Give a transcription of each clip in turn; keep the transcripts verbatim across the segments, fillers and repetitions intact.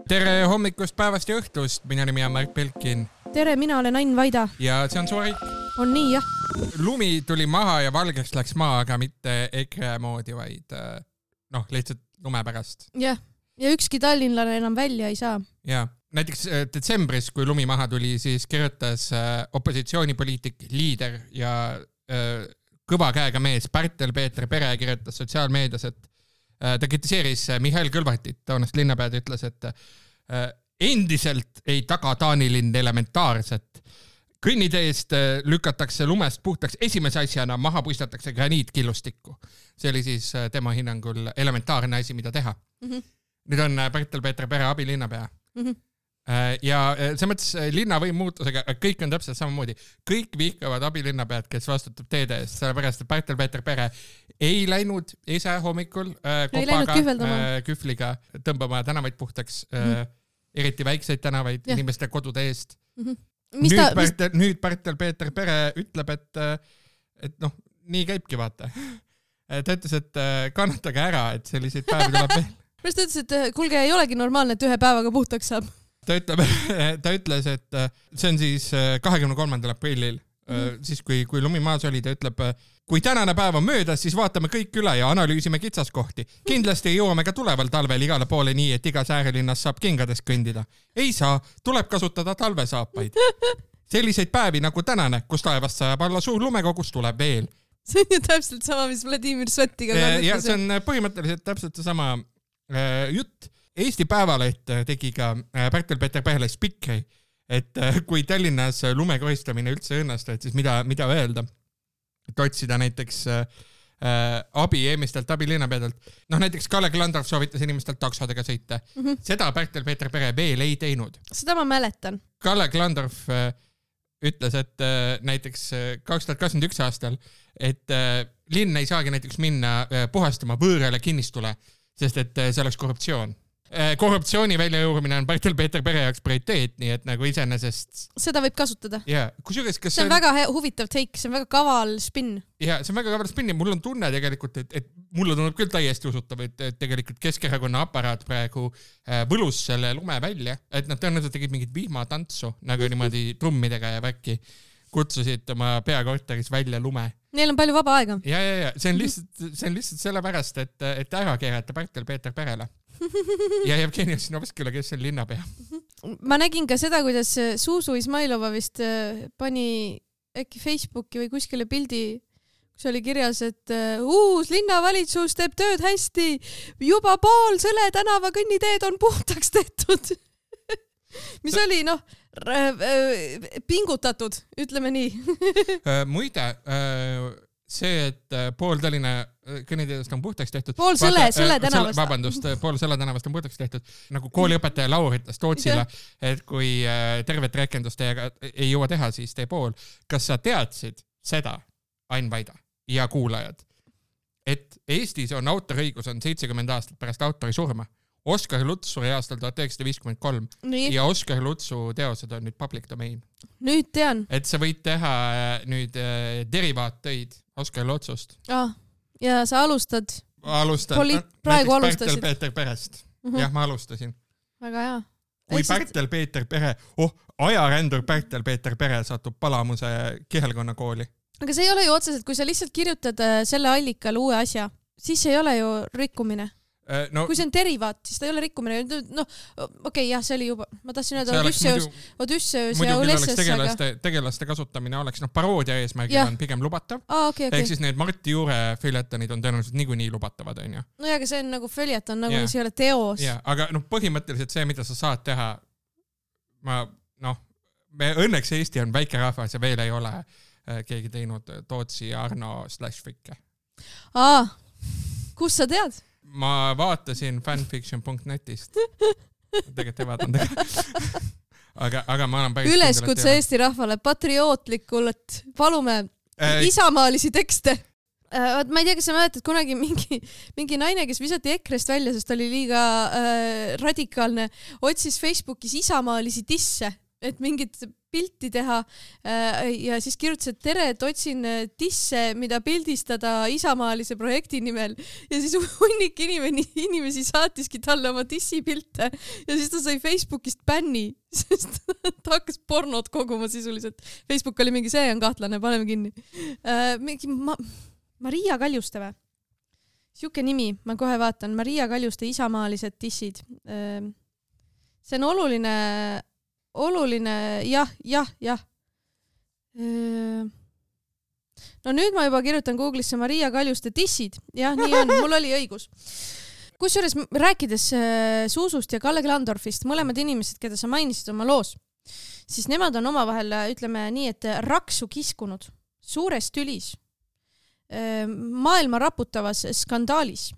Tere hommikust, päevast ja õhtust. Mina nimi on Mark Belkin. Tere, mina olen Ain Vaida. Ja see on Suarik. On nii, jah. Lumi tuli maha ja valgeks läks maa, aga mitte EKRE moodi, vaid noh, lihtsalt lume pärast. Jah, ja ükski tallinlane enam välja ei saa. Ja, näiteks detsembris, kui lumi maha tuli, siis kirjutas opositsioonipoliitik, liider ja kõva käega mees Pärtel-Peeter Pere kirjutas sotsiaalmeedias, et ta kritiseeris Mihhail Kõlvartit, toonast linnapead, ütles, et endiselt ei taga Taanilinn elementaarset. Kõnniteest lükatakse lumest puhtaks esimese asjana, maha puistatakse graniitkillustikku. See oli siis tema hinnangul elementaarne asi, mida teha. Mm-hmm. Nüüd on Pärtel-Peeter Pere abilinnapea. Mm-hmm. Ja see mõttes linnavõim muutusega, kõik on täpselt samamoodi. Kõik vihkavad abilinnapead, kes vastutab teede eest, sellepärast, et Pärtel-Peeter Pere ei läinud ise hommikul äh, kopaga, äh, kühvliga tõmbama tänavaid puhtaks, mm-hmm. äh, eriti väikseid tänavaid ja. Inimeste kodude eest. Mm-hmm. Nüüd, ta, Pärtel, mis... nüüd Pärtel-Peeter Pere ütleb, et, et noh, nii käibki vaata. Ta ütles, et kannatage ära, et selliseid päevi tuleb veel. Pärast ta ütles, et kuulge, ei olegi normaalne, et ühe päevaga puhtaks saab. Ta, ütleb, ta ütles, et see on siis kahekümne kolmandal aprillil, mm-hmm. siis kui, kui lumi maas oli, ta ütleb, kui tänane päev on möödas, siis vaatame kõik üle ja analüüsime kitsaskohti. Kindlasti jõuame ka tuleval talvel igale poole nii, et igas äärelinnas saab kingades kõndida. Ei saa, tuleb kasutada talvesaapaid. Selliseid päevi nagu tänane, kus taevast sajab alla suur lumekogus, tuleb veel. See on ju täpselt sama, mis Vladimir Svetiga kannatuse. Ja see on põhimõtteliselt täpselt sama äh, jutt. Eesti Päevaleht tegi ka Pärtel-Peeter Perele spikri, et kui Tallinnas lumekohistamine üldse õnnestu, et siis mida, mida öelda, et otsida näiteks äh, abi eelmistelt abilinnapeadelt. Noh, näiteks Kalle Klandorf soovitas inimestelt taksodega sõita. Mm-hmm. Seda Pärtel-Peeter Pere veel ei teinud. Seda ma mäletan. Kalle Klandorf äh, ütles, et äh, näiteks kaks tuhat kakskümmend üks aastal, et äh, linn ei saagi näiteks minna äh, puhastama võõrale kinnistule, sest et äh, see oleks korruptsioon. Korruptsiooni väljajuurimine on Pärtel-Peeter Pere jaoks prioriteet, nii et nagu iseenesest... Seda võib kasutada. Yeah. Kusjuures, kas see on, on väga huvitav take, see on väga kaval spinn. Ja, see on väga kaval spinn ja mul on tunne tegelikult, et, et mulle tunneb küll täiesti usutav, et, et tegelikult Keskerakonna aparaat praegu äh, võlus selle lume välja, et nad tõenäoliselt tegid mingit vihmatantsu, nagu niimoodi trummidega ja väkki kutsusid oma peakorteris välja lume. Neil on palju vaba aega. Ja, ja, ja, see on lihtsalt, see on lihtsalt sellepärast, et, et ära keerata Pärtel-Peeter Perele. Ja Jevgeni Ossinovskile, kes on linnapea. Ma nägin ka seda, kuidas Suusu Ismailova vist pani äkki Facebooki või kuskile pildi, kus oli kirjas, et uus linnavalitsus teeb tööd hästi, juba pool Sõle tänava kõnniteed on puhtaks tehtud. Mis Sa... oli, noh, pingutatud, ütleme nii. Muide, see, et pool Tallinna kõnniteedest on puhtaks tehtud. Pool Sõle, Sõle tänavast. Vabandust, pool Sõle tänavast on puhtaks tehtud. Nagu kooliõpetaja Laur ütles Tootsile, et kui tervet rekendust ei jõua teha, siis tee pool. Kas sa teadsid seda, Ain Vaida ja kuulajad, et Eestis on autoriõigus on seitsekümmend aastat pärast autori surma? Oskar Luts suri aastal tuhat üheksasada viiskümmend kolm nii. Ja Oskar Lutsu teosed on nüüd public domain. Nüüd tean. Et sa võid teha nüüd äh, derivaattöid Oskar Lutsust. Ah, ja sa alustad? Alustad. Poli- praegu alustasid. Pärtel-Peeter Perest. Uh-huh. Jah, ma alustasin. Väga hea. Kui Pärtel-Peeter Pere, oh, ajarändur Pärtel-Peeter Pere satub Palamuse kihelkonna kooli. Aga see ei ole ju otseselt, kui sa lihtsalt kirjutad selle allikal uue asja, siis ei ole ju rikkumine. No, kui see on derivaat, siis ta ei ole rikkumine. No, okei, okay, jah, see oli juba, ma tahtsin öelda Odysseus, Odysseus ja Ulysses. Tegelaste, tegelaste kasutamine oleks, noh, paroodia eesmärgil on pigem lubatav. Ah, okay, okay. Ehk siis need Martti Juure följetonid on tõenäoliselt niikuinii lubatavad, on ju. No ja, aga see on nagu följeton, nagu mis ei ole teos. Ja, aga noh, põhimõtteliselt see, mida sa saad teha, ma, noh, me õnneks Eesti on väike rahvas ja veel ei ole keegi teinud Tootsi ja Arno slash Fikke. Aa, kus sa tead? Ma vaatasin fanfiction punkt netist. Tegelikult ei vaatan tegelikult. aga, aga ma olen päris... Üleskutse Eesti rahvale patriootlikult. Palume äh, isamaalisi tekste. Äh, ma ei tea, kas sa mäletad kunagi mingi, mingi naine, kes visati Ekrest välja, sest oli liiga äh, radikaalne, otsis Facebookis isamaalisi disse. et mingit pilti teha ja siis kirjutas, et tere, et otsin disse, mida pildistada isamaalise projekti nimel ja siis hunnik inimene, inimesi saatiski talle oma dissipilte ja siis ta sai Facebookist bänni, sest ta hakkas pornot koguma sisuliselt. Facebook oli mingi, see on kahtlane, paneme kinni. Mingi ma, Maria Kaljuste või? Siuke nimi, ma kohe vaatan, Maria Kaljuste isamaalised dissid. See on oluline oluline, jah, jah, jah. No nüüd ma juba kirjutan Google'isse Maria Kaljuste dissid. Jah, nii on, mul oli õigus. Kusjuures rääkides Suusust ja Kalle Klandorfist, mõlemad inimesed, keda sa mainisid oma loos, siis nemad on omavahel, ütleme nii, et raksu kiskunud suures tülis, maailma raputavas skandaalis.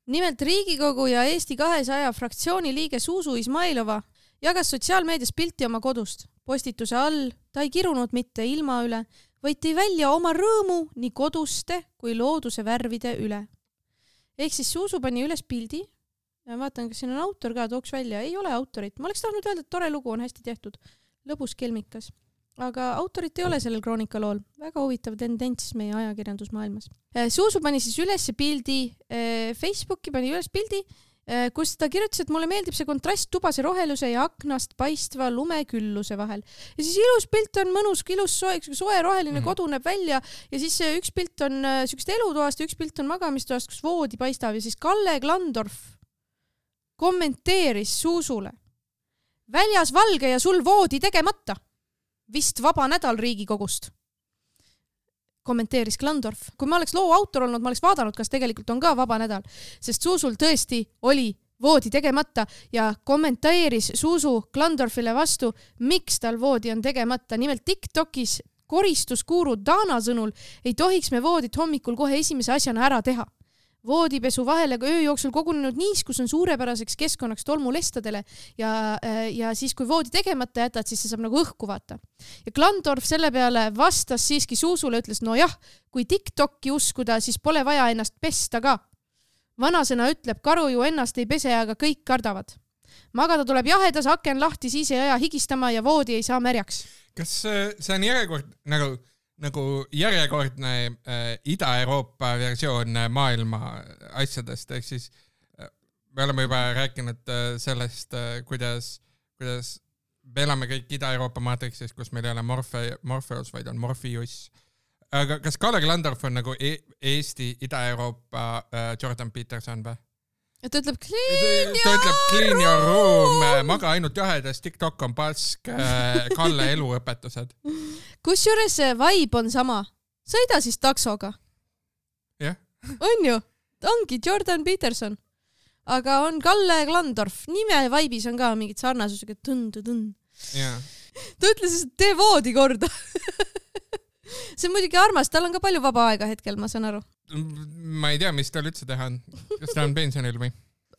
Nimelt Riigikogu ja Eesti kahesaja fraktsiooni liige Suusu Izmailova jagas sotsiaalmeedias pilti oma kodust. Postituse all ta ei kirunud mitte ilma üle, vaid tõi välja oma rõõmu nii koduste kui looduse värvide üle. Ehk siis Suusu pani üles pildi. Ja vaatan, kas siin on autor ka, tooks välja. Ei ole autorit. Ma oleks tahtnud öelda, et tore lugu on hästi tehtud. Lõbus kelmikas. Aga autorit ei ole sellel kroonikalool. Väga huvitav tendents meie ajakirjandusmaailmas. Suusu pani siis üles pildi, Facebooki pani üles pildi, kus ta kirjutas, et mulle meeldib see kontrast tubase roheluse ja aknast paistva lumekülluse vahel. Ja siis ilus pilt on mõnus, ilus soe, soe roheline kodu näeb välja ja siis üks pilt on sükst elutoast ja üks pilt on magamistoast, kus voodi paistab ja siis Kalle Klandorf kommenteeris Suusule. Väljas valge ja sul voodi tegemata. Vist vaba nädal Riigikogust. Kommenteeris Klandorf. Kui ma oleks loo autor olnud, ma oleks vaadanud, kas tegelikult on ka vaba nädal, sest Suusul tõesti oli voodi tegemata ja kommenteeris Suusu Klandorfile vastu, miks tal voodi on tegemata. Nimelt TikTokis koristuskuuru Dana sõnul ei tohiks me voodit hommikul kohe esimese asjana ära teha. Voodipesu vahele öö jooksul kogunenud niiskus on suurepäraseks keskkonnaks tolmulestadele ja, ja siis kui voodi tegemata jätad, siis see saab nagu õhku vaata. Ja Klandorf selle peale vastas siiski Suusule, ütles, no jah, kui TikToki uskuda, siis pole vaja ennast pesta ka. Vanasõna ütleb, karu ju ennast ei pese, aga kõik kardavad. Magada tuleb jahedas, aken lahti, siis ei aja higistama ja voodi ei saa märjaks. Kas see on järjekord nagu... nagu järjekordne äh, Ida-Euroopa versioon maailma asjadest, ehk siis äh, me oleme juba rääkinud äh, sellest, äh, kuidas, kuidas me elame kõik Ida-Euroopa maatriksis, kus meil ei ole Morfe, Morpheus, vaid on Morpheus. Aga kas Kalle Klandorf on nagu e Eesti Ida-Euroopa äh, Jordan Peterson või? Ta ütleb clean ta ütleb clean your room, maga ainult jahedas, TikTok on pask, Kalle eluõpetused. Kusjuures vibe on sama. Sõida siis taksoga. Jah. On ju? Ongi Jordan Peterson. Aga on Kalle Klandorf. Nime vibe'is on ka mingid sarnasusega tõnd-tõnd. Yeah. Ta ütles, et tee voodi korda. See on muidugi armas, tal on ka palju vaba aega hetkel, ma saan aru. Ma ei tea, mis tal üldse teha on. Kas ta on pensionil või?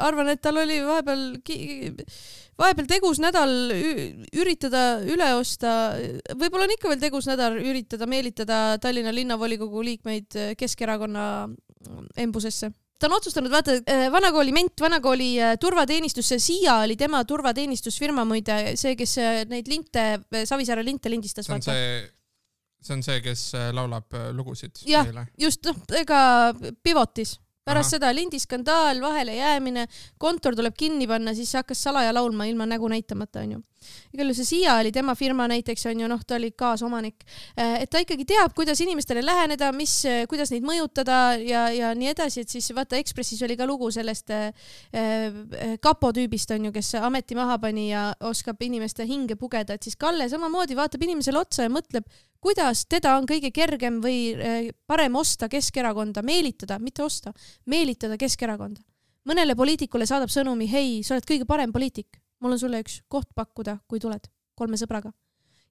Arvan, et tal oli vahepeal, vahepeal tegus nädal üritada üle osta, võib-olla on ikka veel tegus nädal üritada meelitada Tallinna linnavolikogu liikmeid Keskerakonna embusesse. Ta on otsustanud, vaata, vanakooli ment, vanakooli turvateenistus, Siia oli tema turvateenistusfirma muide, see, kes neid linte, Savisaare linte lindistas. See on see... See on see, kes laulab lugusid. Jah, just, noh, ega pivotis. Pärast Aha. seda lindiskandaal, vahele jäämine, kontor tuleb kinni panna, siis hakkas salaja laulma ilma nägu näitamata, on ju. Igal see Siia oli tema firma näiteks, on ju, noh, ta oli kaasomanik. Et ta ikkagi teab, kuidas inimestele läheneda, mis, kuidas neid mõjutada ja, ja nii edasi, et siis vaata Ekspressis oli ka lugu sellest äh, kapo tüübist, on ju, kes ameti maha pani ja oskab inimeste hinge pugeda, et siis Kalle samamoodi vaatab inimesele otsa ja mõtleb, kuidas teda on kõige kergem või parem osta Keskerakonda, meelitada, mitte osta, meelitada Keskerakonda. Mõnele poliitikule saadab sõnumi, hei, sa oled kõige parem poliitik, mul on sulle üks koht pakkuda, kui tuled kolme sõbraga.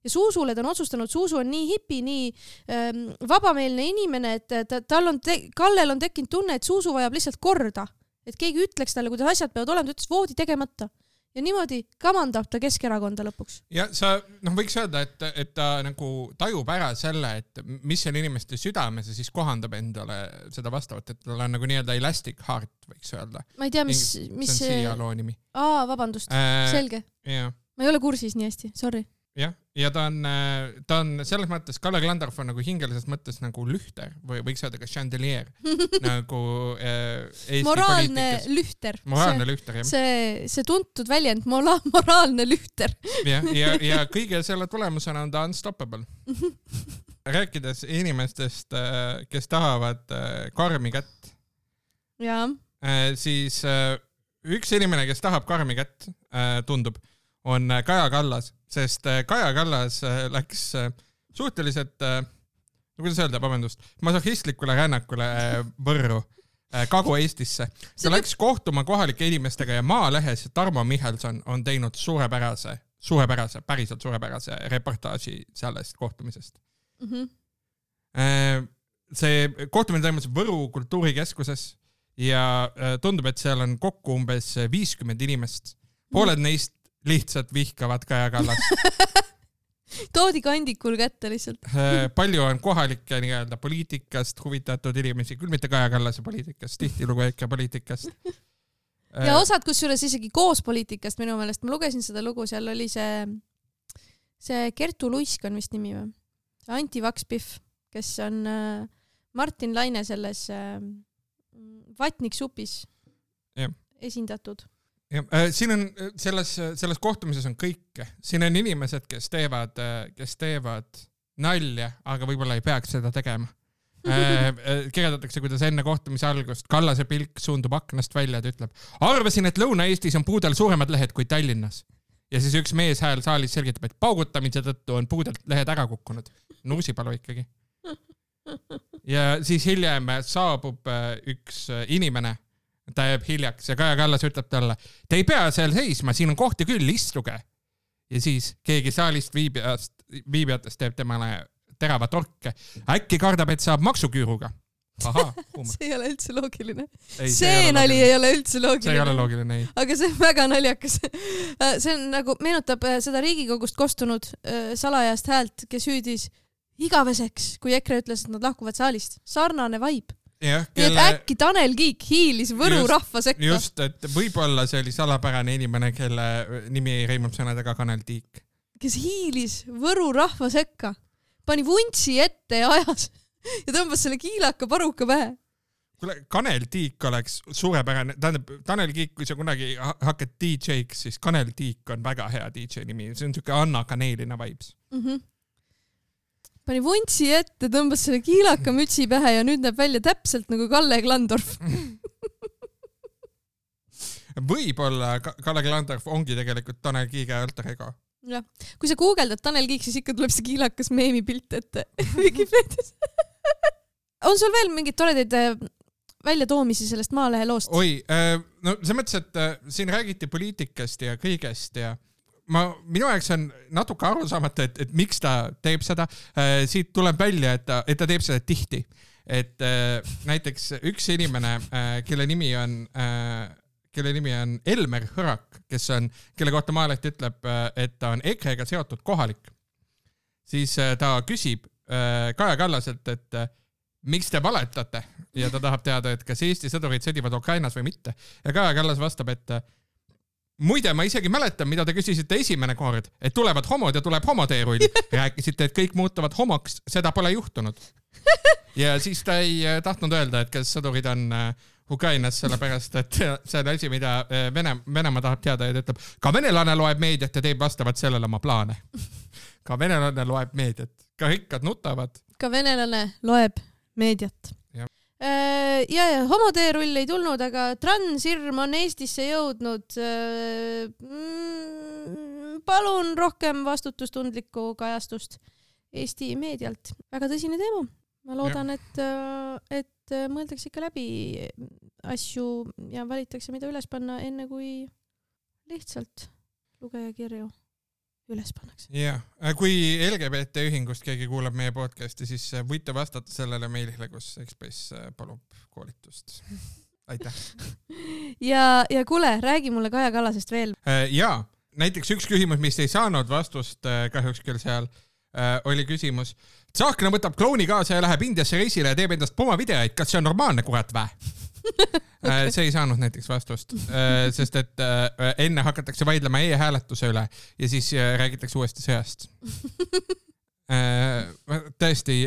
Ja Suusule ta on otsustanud, Suusu on nii hipi, nii ähm, vabameelne inimene, et ta, tal on te, Kallel on tekkinud tunne, et Suusu vajab lihtsalt korda, et keegi ütleks talle, kuidas asjad peavad olema, ta ütles voodi tegemata. Ja niimoodi kamandab ta Keskerakonda lõpuks. Ja sa noh, võiks öelda, et, et ta nagu tajub ära selle, et mis on inimeste südames ja siis kohandab endale seda vastavat, et tal on nagu nii-öelda elastic heart, võiks öelda. Ma ei tea, mis... mis see on Siia loo nimi. Aa, vabandust. Äh, Selge. Yeah. Ma ei ole kursis nii hästi, sorry. jah, ja ta on, ta on selles mõttes, Kalle Klandorf on nagu hingelises mõttes nagu lühter või võiks öelda ka chandelier nagu äh, Eesti moraalne poliitikas. Lühter. Moraalne see, lühter, jah. See, see tuntud väljend, mola, moraalne lühter. ja, ja, ja kõige selle tulemusena on ta unstoppable. Rääkides inimestest, kes tahavad karmi kätt, ja. siis üks inimene, kes tahab karmi kätt, tundub, on Kaja Kallas, sest Kaja Kallas läks suhteliselt, no kuidas öelda, vabandust, masohhistlikule rännakule Võrru, Kagu-Eestisse. Ta läks kohtuma kohalike inimestega ja Maalehes Tarmo Michelson on teinud suurepärase, suurepärase, päriselt suurepärase reportaaži sellest kohtumisest. Mm-hmm. See kohtumine toimus Võru kultuurikeskuses ja tundub, et seal on kokku umbes viiskümmend inimest. Pooled neist lihtsalt vihkavad Kaja Kallast. Toodi kandikul kätte lihtsalt. Palju on kohalikke nii-öelda poliitikast huvitatud inimesi, küll mitte Kaja Kallase poliitikast, tihtilugu ikka poliitikast. Ja osad kusjuures isegi koos poliitikast minu meelest. Ma lugesin seda lugu, seal oli see, see Kertu Luisk on vist nimi või? Anti Vakspihv, kes on Martin Laine selles Vatnik supis ja. Esindatud. Ja, siin on selles, selles kohtumises on kõike. Siin on inimesed, kes teevad, kes teevad nalja, aga võib-olla ei peaks seda tegema. Kirjeldatakse, kuidas enne kohtumise algust Kallase pilk suundub aknast välja ja ütleb, arvasin, et Lõuna-Eestis on puudel suuremad lehed kui Tallinnas. Ja siis üks mees hääl saalis selgitab, et paugutamise tõttu on puudelt lehed ära kukkunud. Nursipalu ikkagi. Ja siis hiljem saabub üks inimene, ta jääb hiljaks ja Kaja Kallas ütleb talle, te ei pea seal seisma, siin on kohti küll, istuge. Ja siis keegi saalist viibijast, viibijatest teeb temale terava torke. Äkki kardab, et saab maksuküüruga. Aha, see ei ole üldse loogiline. Ei, see see nali ei ole üldse loogiline. See ei ole loogiline, ei. Aga see on väga naljakas. See on nagu, meenutab seda Riigikogust kostunud salajast häält, kes hüüdis igaveseks, kui EKRE ütles, et nad lahkuvad saalist. Sarnane vaib. Ja, kelle... Nii et äkki Tanel Kiik hiilis Võru just, rahva sekka. Just, et võib-olla see oli salapärane inimene, kelle nimi ei reimub sõnadega Kanel Tiik. Kes hiilis Võru rahva sekka, pani vuntsi ette ja ajas ja tõmbas selle kiilaka paruka pähe. Kule, Kanel Tiik oleks suurepärane, tähendab, Tanel Kiik, kui sa kunagi hakkad D J-ks, siis Kanel Tiik on väga hea D J nimi, see on niisugune Anna Kaneelina vibes. Mm-hmm. Pani vuntsi ette, tõmbas selle kiilaka mütsi pähe ja nüüd näeb välja täpselt nagu Kalle Klandorf. Võib-olla Kalle Klandorf ongi tegelikult Tanel Kiige alter ego. Ja. Kui sa guugeldad Tanel Kiik, siis ikka tuleb see kiilakas meemi pilt ette Wikipedias. On sul veel mingid toredaid väljatoomisi sellest Maalehe loost? Oi, no see mõttes, et siin räägiti poliitikast ja kõigest ja ma, minu jaoks on natuke aru saamata, et, et miks ta teeb seda. Siit tuleb välja, et ta, et ta teeb seda tihti. Et näiteks üks inimene, kelle nimi on, kelle nimi on Elmer Hõrak, kes on, kelle kohta Maaleht ütleb, et ta on EKRE-ga seotud kohalik. Siis ta küsib Kaja Kallaselt, et miks te valetate? Ja ta tahab teada, et kas Eesti sõdurid sõdivad Ukrainas või mitte. Ja Kaja Kallas vastab, et muide, ma isegi mäletan, mida te küsisite esimene kord, et tulevad homod ja tuleb homoteerull. Rääkisite, et kõik muutuvad homoks, seda pole juhtunud. Ja siis ta ei tahtnud öelda, et kas sõdurid on Ukrainas, sellepärast, et see on asi, mida Vene, Venemaa tahab teada ja ta ütleb, ka venelane loeb meediat ja teeb vastavalt sellele oma plaane. Ka venelane loeb meediat, ka rikkad nutavad. Ka venelane loeb meediat. Ja, ja, ja homoteerull ei tulnud, aga transirm on Eestisse jõudnud. Palun rohkem vastutustundlikku kajastust Eesti meedialt. Väga tõsine teema. Ma loodan, et, et mõeldakse ikka läbi asju ja valitakse, mida üles panna enne kui lihtsalt lugeja kirju üles pannakse. Jah, kui L G B T ühingust keegi kuulab meie podcasti, siis võite vastata sellele meilile, kus Ekspress palub koolitust. Aitäh. Ja, ja kuule, räägi mulle Kaja Kallasest veel. Jaa, näiteks üks küsimus, mis ei saanud vastust kahjuks küll seal, oli küsimus. Tsahkna võtab klouni kaasa ja läheb Indiasse reisile ja teeb endast poma videoid. Kas see on normaalne, kurat vä? Okay. See ei saanud näiteks vastust, sest et enne hakatakse vaidlema e-hääletuse üle ja siis räägitakse uuesti sõjast. Tõesti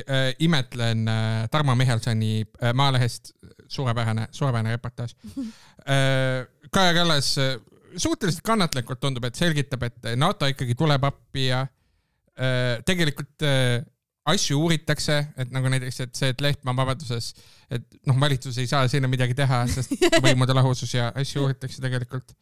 imetlen Tarmo Mihelsoni Maalehest suurepärane, suurepärane reportaaž. Kaja Kallas suhteliselt kannatlikult tundub, et selgitab, et NATO ikkagi tuleb appi ja tegelikult asju uuritakse, et nagu näiteks, et see, et Lehtmaa vabaduses, et noh, valitsus ei saa sinna midagi teha, sest võimude lahusus ja asju uuritakse tegelikult.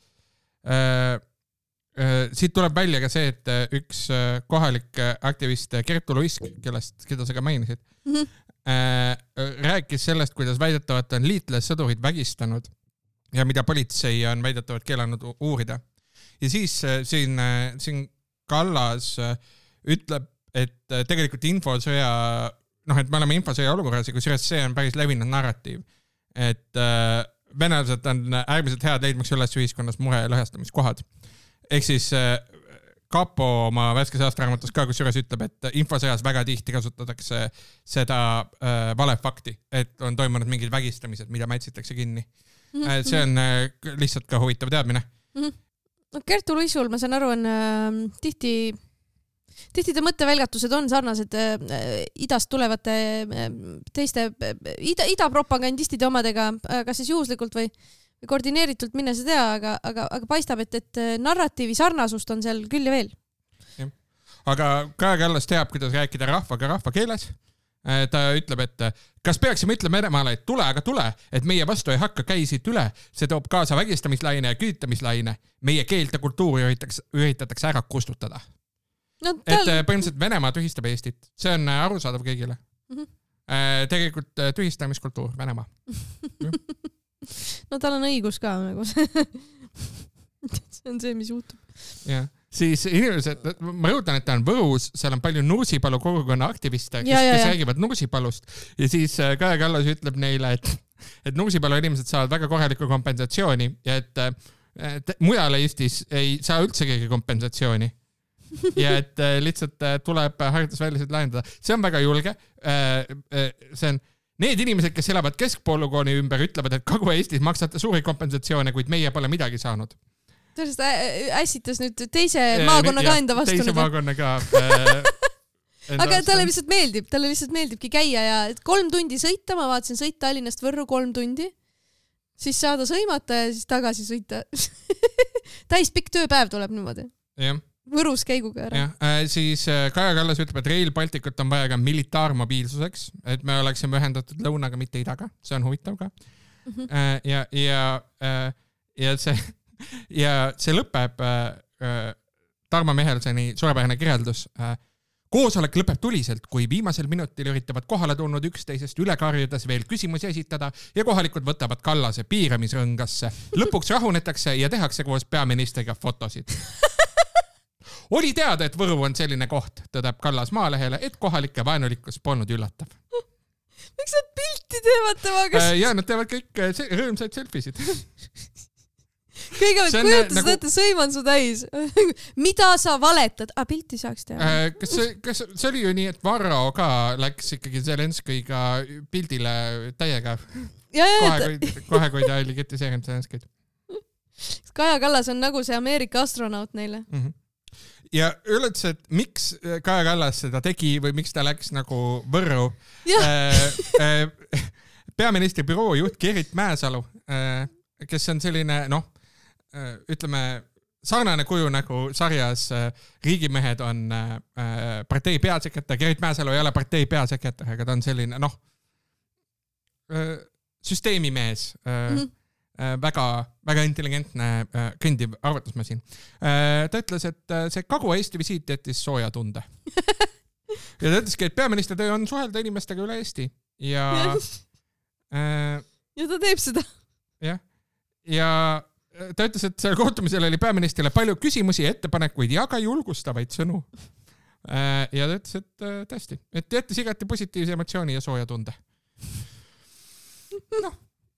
Siit tuleb välja ka see, et üks kohalik aktivist Kertu Luisk, kellest, keda sa ka mainisid, mm-hmm. rääkis sellest, kuidas väidetavalt on liitlassõdurid vägistanud ja mida politsei on väidetavalt keelanud uurida. Ja siis siin, siin Kallas ütleb, et tegelikult infosõja, noh, et me oleme infosõja olukorras ja kusjuures see on päris levinud narratiiv, et venelased on äärmiselt head leidmaks üles ühiskonnas mure ja lõhestamiskohad. Ehk siis Kapo oma värskes aastaraamatus ka kusjuures ütleb, et infosõjas väga tihti kasutatakse seda äh, valefakti, et on toimunud mingid vägistamised, mida mätsitakse kinni. Mm-hmm. See on äh, lihtsalt ka huvitav teadmine. Mm-hmm. No, Kertu Luisul, ma saan aru, on äh, tihti Tihti ta mõttevälgatused on sarnased äh, idast tulevate äh, teiste äh, ida, idapropagandistide omadega, äh, kas siis juhuslikult või, või koordineeritult, minne sa tea, aga, aga, aga paistab, et, et narratiivi sarnasust on seal küll ja veel. Ja. Aga Kaja Kallas teab, kuidas rääkida rahvaga rahva keeles. Ta ütleb, et kas peaksime ütlema Venemaale, et tule, aga tule, et meie vastu ei hakka käisid üle. See toob kaasa vägistamislaine ja küütamislaine. Meie keelt ja kultuuri üritatakse ära kustutada. No, tal... Et põhimõtteliselt Venemaa tühistab Eestit. See on arusaadav kõigile. Mm-hmm. Tegelikult tühistamiskultuur Venemaa. No tal on õigus ka. Nagu. See on see, mis juhtub. Ja. Siis inimesed, ma rõhutan, et ta on Võrus, seal on palju Nursipalu kogukonna aktiviste, kes, ja, ja, ja. kes räägivad Nursipalust. Ja siis Kaja Kallas ütleb neile, et, et Nursipalu inimesed saavad väga korralikku kompensatsiooni ja et, et mujal Eestis ei saa üldse keegi kompensatsiooni. Ja et lihtsalt tuleb haridusväliseid lahendada. See on väga julge. See on need inimesed, kes elavad keskpolügooni ümber, ütlevad, et Kagu-Eestis maksate suuri kompensatsioone, kuid meie pole midagi saanud. Tõest ässitas nüüd teise maakonna ka enda vastu. Teise maakonna ka. Aga talle lihtsalt meeldib, talle lihtsalt meeldibki käia ja kolm tundi sõita, ma vaatasin sõit Tallinnast Võrru kolm tundi, siis saada sõimata ja siis tagasi sõita. Täis pikk tööpäev tuleb niimoodi. Jah. Võrus käiguga ära. Ja, äh, siis Kaja Kallas ütleb, et Rail Balticut on vaja ka militaarmobiilsuseks, et me oleksime ühendatud lõunaga, mitte idaga. See on huvitav ka. Mm-hmm. Äh, ja, ja, äh, ja, see, ja see lõpeb äh, Tarmo Mihelsoni suurepärane kirjeldus. Äh, koosolek lõpeb tuliselt, kui viimasel minutil üritavad kohale tulnud üksteisest üle karjudes veel küsimusi esitada ja kohalikud võtavad Kallase piiramisrõngasse. Lõpuks rahunetakse ja tehakse koos peaministriga fotosid. Oli teada, et Võru on selline koht, tõdeb Kallas Maalehele, et kohalike vaenulikkus polnud üllatav. Miks nad pilti teevad temaga? Ja, nad teevad kõik rõõmsaid selfisid. Kõigepealt kujutas nagu... ette, sõiman su täis. Mida sa valetad? A, pilti saaks teha. Kas see, kas see oli ju nii, et Varro ka läks ikkagi Zelenskiga pildile täiega? Ja, ja, kohe, kui, kohe, kui ta oli kritiseerinud Zelenskid. Kaja Kallas on nagu see Ameerika astronaut neile. Mm-hmm. Ja üleüldse, et miks Kaja Kallas seda tegi või miks ta läks nagu Võrru. Peaministri büroo juht Gerrit Mäesalu, kes on selline, noh, ütleme, sarnane kuju nagu sarjas Riigimehed on partei peasekretär. Gerrit Mäesalu ei ole partei peasekretär, aga ta on selline, noh, süsteemimees. Mm-hmm. väga, väga intelligentne kõndiv arvatusmasin. Ta ütles, et see Kagu-Eesti visiit jättis sooja tunde. Ja ta ütleski, et peaministri töö on suhelda inimestega üle Eesti. Ja, äh, ja ta teeb seda. Ja, ja ta ütles, et seal kohtumisel oli peaministrile palju küsimusi, ettepanekuid ja ka julgustavaid sõnu. Ja ta ütles, et tõesti, et jättis igati positiivse emotsiooni ja sooja tunde. Noh.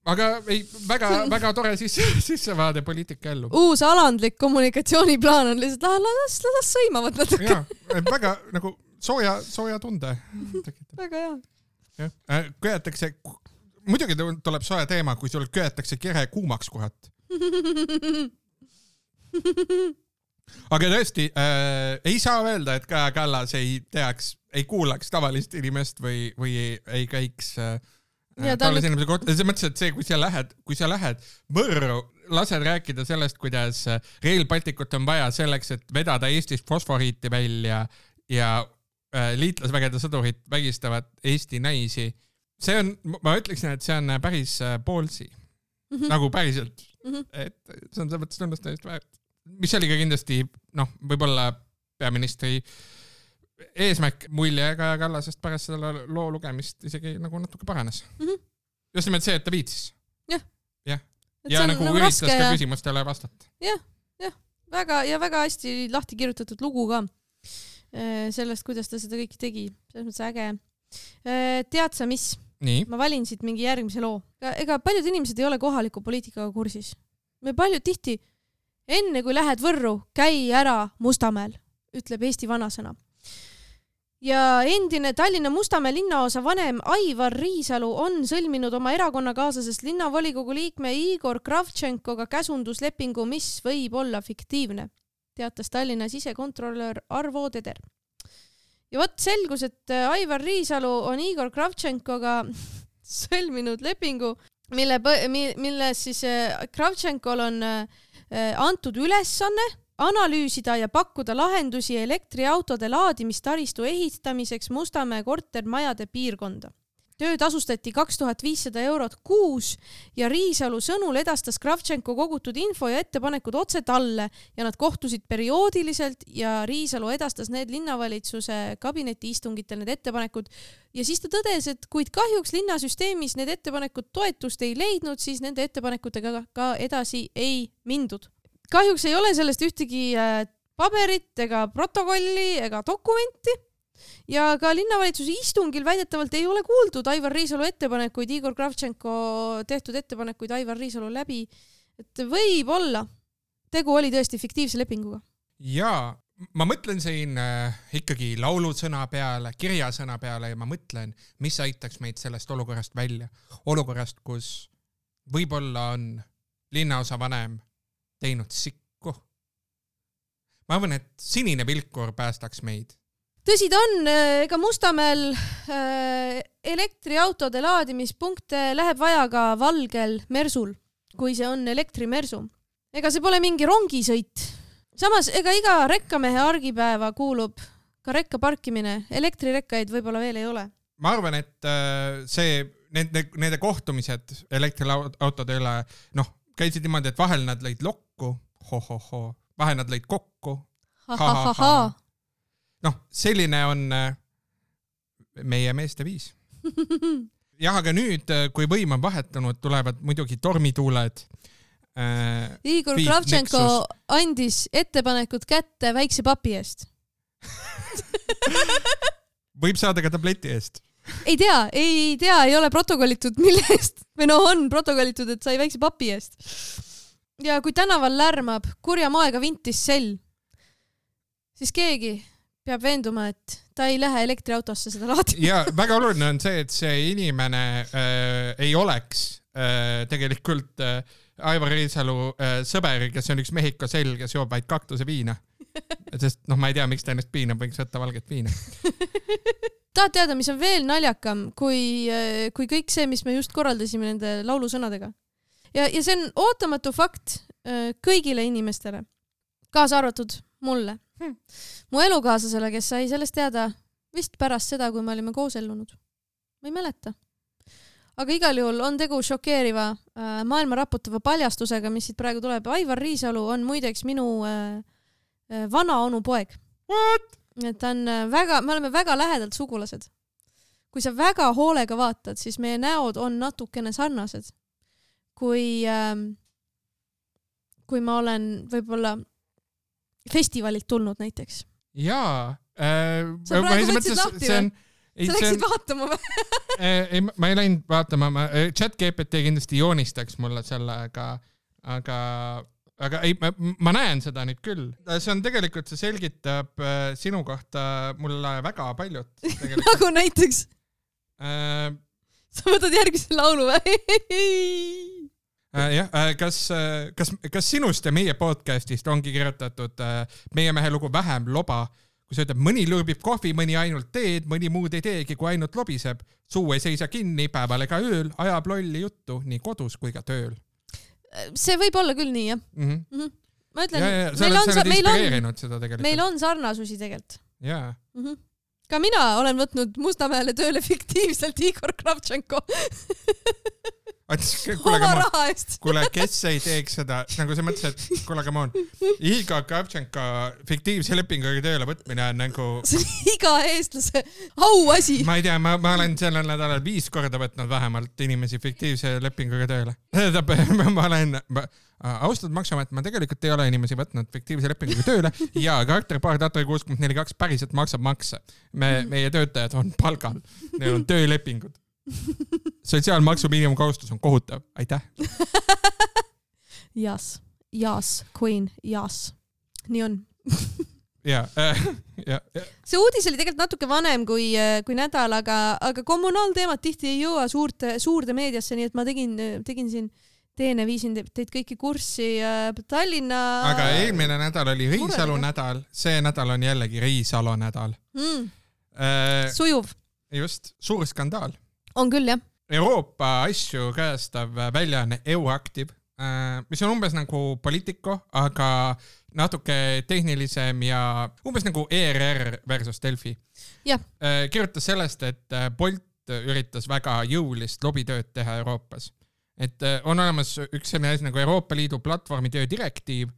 Aga ei, väga, väga tore siis, sissevaade poliitika ellu. Uus alandlik kommunikatsiooniplaan on lihtsalt, las, las sõimavad natuke. Ja, väga nagu sooja, sooja tunde. Väga hea. Ja. Köetakse muidugi tuleb soe teema, kui sul köetakse kere kuumaks kurat. Aga tõesti, äh, ei saa öelda, et Kaja Kallas ei teaks, ei kuulaks tavalist inimest või, või ei, ei käiks äh, tavalise inimese kohta. See mõttes, et see, kui sa lähed, kui sa lähed Võrru, lased rääkida sellest, kuidas Rail Balticut on vaja selleks, et vedada Eestist fosforiiti välja ja äh, liitlasvägede sõdurid vägistavad Eesti naisi. See on, ma ütleksin, et see on päris poolsi. Mm-hmm. Nagu päriselt. Mm-hmm. Et see on see mõttes tunnustamist väärt. Mis oli ka kindlasti, noh, võib-olla peaministri eesmärk mulje Kaja Kallasest pärast seda loo lugemist isegi nagu natuke paranes. Mm-hmm. Just nimelt see, et ta viitsis. Jah. Jah. Ja nagu, nagu üritas ka ja... küsimustele vastata. Jah, jah. Väga, ja väga hästi lahti kirjutatud lugu ka sellest, kuidas ta seda kõiki tegi. Selles mõttes äge. Tead sa mis? Nii. Ma valin siit mingi järgmise loo. Ega paljud inimesed ei ole kohaliku poliitikaga kursis. Me paljud tihti enne kui lähed Võrru, käi ära Mustamäel, ütleb Eesti vanasõna. Ja endine Tallinna Mustamäe linnaosa vanem Aivar Riisalu on sõlminud oma erakonnakaaslasest linnavolikogu liikme Igor Kravtšenkoga käsunduslepingu, mis võib olla fiktiivne, teatas Tallinna sisekontrolör Arvo Teder. Ja võt selgus, et Aivar Riisalu on Igor Kravtšenkoga sõlminud lepingu, mille, mille siis Kravtšenkol on antud ülesanne analüüsida ja pakkuda lahendusi elektriautode laadimistaristu ehitamiseks Mustamäe kortermajade piirkonda. Töö tasustati kaks tuhat viissada eurot kuus ja Riisalu sõnul edastas Kravtšenko kogutud info ja ettepanekud otse talle ja nad kohtusid perioodiliselt ja Riisalu edastas need linnavalitsuse kabineti istungitel need ettepanekud ja siis ta tõdes, et kuid kahjuks linnasüsteemis need ettepanekud toetust ei leidnud, siis nende ettepanekutega ka edasi ei mindud. Kahjuks ei ole sellest ühtegi paberit ega protokolli ega dokumenti. Ja ka linnavalitsuse istungil väidetavalt ei ole kuuldud Aivar Riisalu ettepanekuid, Igor Kravtšenko tehtud ettepanekuid Aivar Riisalu läbi, et võib olla. Tegu oli tõesti fiktiivse lepinguga. Jaa, ma mõtlen siin äh, ikkagi laulusõna peale, kirjasõna peale ja ma mõtlen, mis aitaks meid sellest olukorrast välja. Olukorrast, kus võib-olla on linnaosa vanem teinud sikku. Ma arvan, et sinine vilkur päästaks meid. Tõsi ta on, ega Mustamäel elektriautode laadimispunkte läheb vaja ka valgel mersul, kui see on elektrimersu. Ega see pole mingi rongisõit. Samas, ega iga rekkamehe argipäeva kuulub ka rekka parkimine. Elektrirekkaid võib-olla veel ei ole. Ma arvan, et see, nende, nende kohtumised elektriautode üle, noh, käisid niimoodi, et vahel nad lõid lokku, ho-ho-ho, vahel nad lõid kokku, ha-ha-ha. Noh, selline on meie meeste viis. Jah, aga nüüd, kui võim on vahetunud, tulevad muidugi tormituuled. Äh, Igor Kravtšenko andis ettepanekud kätte väikse papi eest. Võib saada ka tableti eest. Ei tea, ei tea, ei ole protokollitud mille eest. Või no on protokollitud, et sai väikse papi eest. Ja kui tänaval lärmab kurja maega vintis sell, siis keegi peab veenduma, et ta ei lähe elektriautosse seda laadima. Ja väga oluline on see, et see inimene äh, ei oleks äh, tegelikult äh, Aivar Riisalu äh, sõber, kes on üks Mehhiko sell, kes joob vaid kaktuse viina. Sest noh, ma ei tea, miks ta ennast piinab, võiks võtta valget viina. Tahad teada, mis on veel naljakam, kui, kui kõik see, mis me just korraldasime nende laulusõnadega. Ja, ja see on ootamatu fakt kõigile inimestele, kaasa arvatud mulle. Hmm. Mu elukaaslasele, kes sai sellest teada vist pärast seda, kui me olime koos ellunud. Ma ei mäleta. Aga igal juhul on tegu šokeeriva äh, maailma raputava paljastusega, mis siit praegu tuleb. Aivar Riisalu on muideks minu äh, äh, vana onu poeg. What? Et on väga, me oleme väga lähedalt sugulased. Kui sa väga hoolega vaatad, siis meie näod on natukene sarnased. Kui, äh, kui ma olen võib-olla festivalilt tulnud näiteks. Jaa. Äh, sa praegu võtsid lahti või? Sa läksid vaatama või? ei, ma ei läinud vaatama. Ma, chat G P T kindlasti joonistaks mulle selle, aga, aga, aga ei, ma, ma näen seda nüüd küll. See on tegelikult, see selgitab äh, sinu kohta mulle väga paljut. Nagu näiteks? Äh, sa võtad järgmise laulu või? jah, kas, kas, kas sinust ja meie podcastist ongi kirjutatud meie mehe lugu Vähem loba, kui sa ütleb, mõni lõõbib kohvi, mõni ainult teed, mõni muud ei teegi, kui ainult lobiseb. Suu ei seisa kinni päeval ega ööl, ajab lolli juttu nii kodus kui ka tööl. See võib olla küll nii, jah. Mm-hmm. Mm-hmm. Ma ütlen, ja, ja, meil, on, meil, on, seda meil on sarnasusi tegelikult. Jaa. Mm-hmm. Ka mina olen võtnud Mustamäele tööle fiktiivselt Igor Kravtšenko. Oma raha eest. Kuule, kes ei teeks seda, nagu sa mõtlesid, et kuule, come on, Igor Kravtšenko fiktiivse lepinguga tööle võtmine on nagu... See on iga eestlase auasi. Ma ei tea, ma, ma olen sellel nädalal viis korda võtnud vähemalt inimesi fiktiivse lepinguga tööle. Ma olen... Ma, austatud maksuamet, ma tegelikult ei ole inimesi võtnud fiktiivse lepinguga tööle ja Karter-Paar Tatari kuuskümmend neli kaks päriselt maksab makse. Me, meie töötajad on palgal, neil on töölepingud. Sotsiaalmaksu miinimumkohustus on kohutav. Aitäh. Jas, jas, queen, jas. Nii on. ja, äh, ja, ja. See uudis oli tegelikult natuke vanem kui, kui nädal, aga, aga kommunaalteemad tihti ei jõua suurte, suurde meediasse, nii et ma tegin, tegin siin teene, viisin teid kõiki kurssi Tallinna... Aga eelmine nädal oli Riisalu nädal, see nädal on jällegi Riisalu nädal. Mm. Äh, Sujuv. Just, suur skandaal. On küll, jah. Euroopa asju käestav väljaanne Euraktiv, mis on umbes nagu Politico, aga natuke tehnilisem ja umbes nagu E R R versus Delfi. Jah. Kirjutas sellest, et Bolt üritas väga jõulist lobitööd teha Euroopas. Et on olemas üks selline asi nagu Euroopa Liidu platvormitöö direktiiv,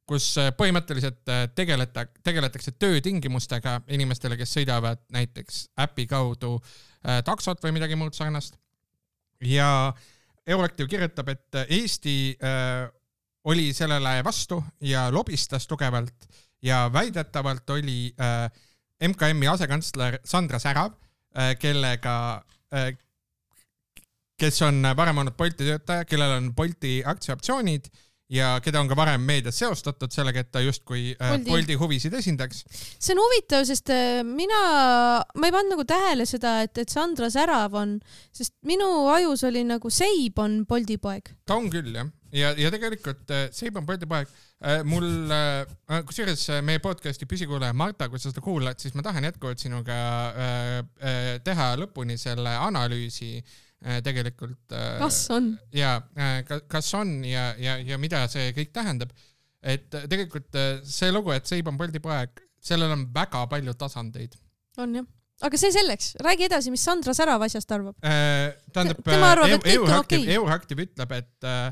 kus põhimõtteliselt tegeleta, tegeletakse töötingimustega inimestele, kes sõidavad näiteks äpi kaudu taksot või midagi muud sarnast. Ja Euraktiv kirjutab, et Eesti äh, oli sellele vastu ja lobistas tugevalt ja väidetavalt oli äh, M K M-i asekantsler Sandra Särav, äh, kellega äh, kes on varem olnud Bolti töötaja, kellel on Bolti aktsiaoptsioonid ja keda on ka varem meedias seostatud sellega, et ta justkui Bolti, Bolti huvisid esindaks. See on huvitav, sest mina, ma ei pannud nagu tähele seda, et, et Sandra Särav on, sest minu ajus oli nagu Seib on Bolti poeg. Ta on küll, jah. Ja, ja tegelikult Seib on Bolti poeg. Mul, kusjuures meie podcasti püsikuulaja Marta, kui sa seda kuulad, siis ma tahan jätkuvalt sinuga teha lõpuni selle analüüsi tegelikult. Kas on? Ja, kas on ja, ja, ja mida see kõik tähendab. Et tegelikult see lugu, et Seib on Bolti poeg, sellel on väga palju tasandeid. On jah. Aga see selleks, räägi edasi, mis Sandra Särav asjast arvab. Tähendab, Euraktiv ütleb, et äh,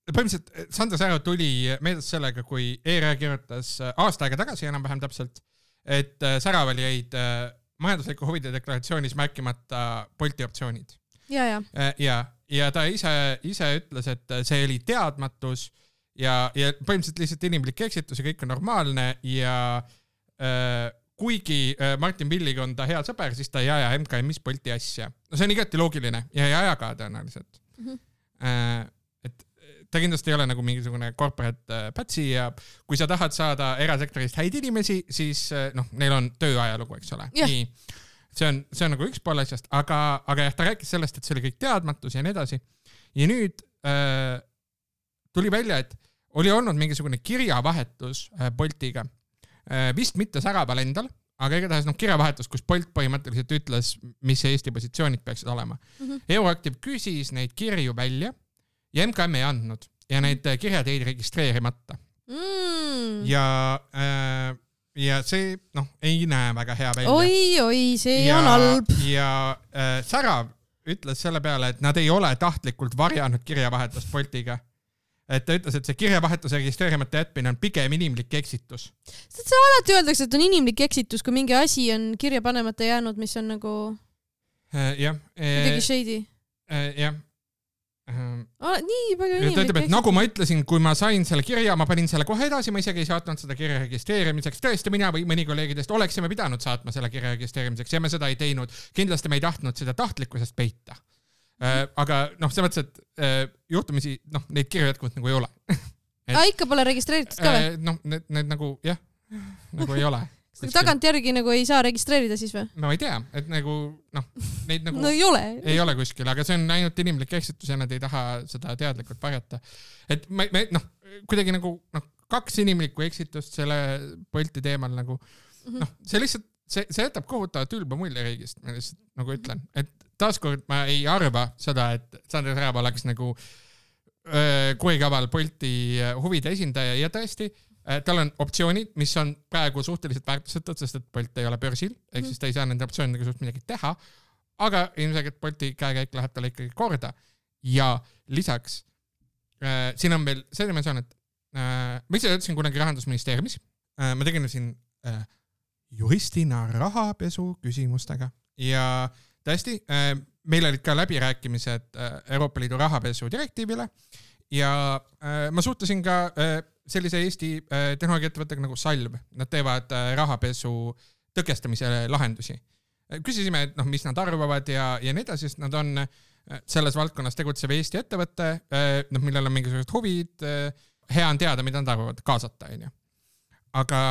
põhimõtteliselt Sandra Särav tuli meeles sellega, kui E R R kirjutas aasta aega tagasi enam-vähem täpselt, et Säraval jäid majandusliku huvide deklaratsioonis märkimata Bolti optsioonid. Ja, ja. Ja, ja ta ise, ise ütles, et see oli teadmatus ja, ja põhimõtteliselt lihtsalt inimlik eksitus ja kõik on normaalne ja äh, kuigi Martin Villig on ta hea sõber, siis ta ei aja M K M-is Bolti asja. No see on igati loogiline ja ei aja ka tõenäoliselt. Mm-hmm. Äh, ta kindlasti ei ole nagu mingisugune corporate pätsi ja kui sa tahad saada erasektorist häid inimesi, siis noh, neil on tööajalugu, eks ole. Yeah. Nii, see on, see on nagu üks pool asjast, aga, aga jah, ta rääkis sellest, et see oli kõik teadmatus ja nii edasi. Ja nüüd äh, tuli välja, et oli olnud mingisugune kirjavahetus äh, Boltiga. Äh, vist mitte Säraval endal, aga igatahes noh, kirjavahetus, kus Bolt põhimõtteliselt ütles, mis Eesti positsioonid peaksid olema. Mm-hmm. Euraktiv küsis neid kirju välja ja M K M ei andnud ja need kirjad jäid registreerimata. Mm. Ja, äh, ja see noh, ei näe väga hea välja. Oi, oi, see ja, on halb. Ja äh, Särav ütles selle peale, et nad ei ole tahtlikult varjanud kirjavahetust Boltiga. Et ta ütles, et see kirjavahetuse registreerimata jätmine on pigem inimlik eksitus. See alati öeldakse, et on inimlik eksitus, kui mingi asi on kirja panemata jäänud, mis on nagu äh, jah, midagi shady. Äh, jah. Ah, nii palju inimlik ütleb, et nagu ma ütlesin, kui ma sain selle kirja, ma panin selle kohe edasi, ma isegi ei saatnud seda kirja registreerimiseks. Tõesti, mina või mõni kolleegidest oleksime pidanud saatma selle kirja registreerimiseks ja me seda ei teinud. Kindlasti me ei tahtnud seda tahtlikkusest peita. Mm-hmm. Aga noh, see mõttes, et juhtumisi noh, neid kirju jätkuvalt nagu ei ole. Et, ah, ikka pole registreeritud ka või? Noh, need, need nagu jah, nagu ei ole. tagantjärgi nagu ei saa registreerida siis või? No ei tea, et nagu noh, neid nagu no ei ole. Ei ole kuskil, aga see on ainult inimlik eksitus ja nad ei taha seda teadlikult varjata. Et me, me noh, kuidagi nagu noh, kaks inimlikku eksitust selle Bolti teemal nagu noh, see lihtsalt, see, see jätab kohutavalt ülba mulje riigist, ma lihtsalt nagu ütlen, et taaskord ma ei arva seda, et Sander Särav oleks nagu kuikaval Bolti huvide esindaja ja tõesti tal on optsioonid, mis on praegu suhteliselt väärtusetud, sest et Bolt ei ole börsil, ehk siis ta ei saa nende optsioonidega suht midagi teha, aga ilmselt Bolti käekäik läheb talle ikkagi korda. Ja lisaks, äh, siin on veel see dimensioon, et äh, ma ise ütlesin kunagi Rahandusministeeriumis, äh, ma tegelesin äh, juristina rahapesu küsimustega ja tõesti, äh, meil olid ka läbirääkimised äh, Euroopa Liidu rahapesu direktiivile ja äh, ma suhtlesin ka äh, sellise Eesti tehnoloogiaettevõttega nagu Salv. Nad teevad rahapesu tõkestamise lahendusi. Küsisime, et noh, mis nad arvavad ja, ja nii edasi, sest nad on selles valdkonnas tegutsev Eesti ettevõtte, noh, millel on mingisugused huvid, hea on teada, mida nad arvavad, kaasata, on ju. Aga,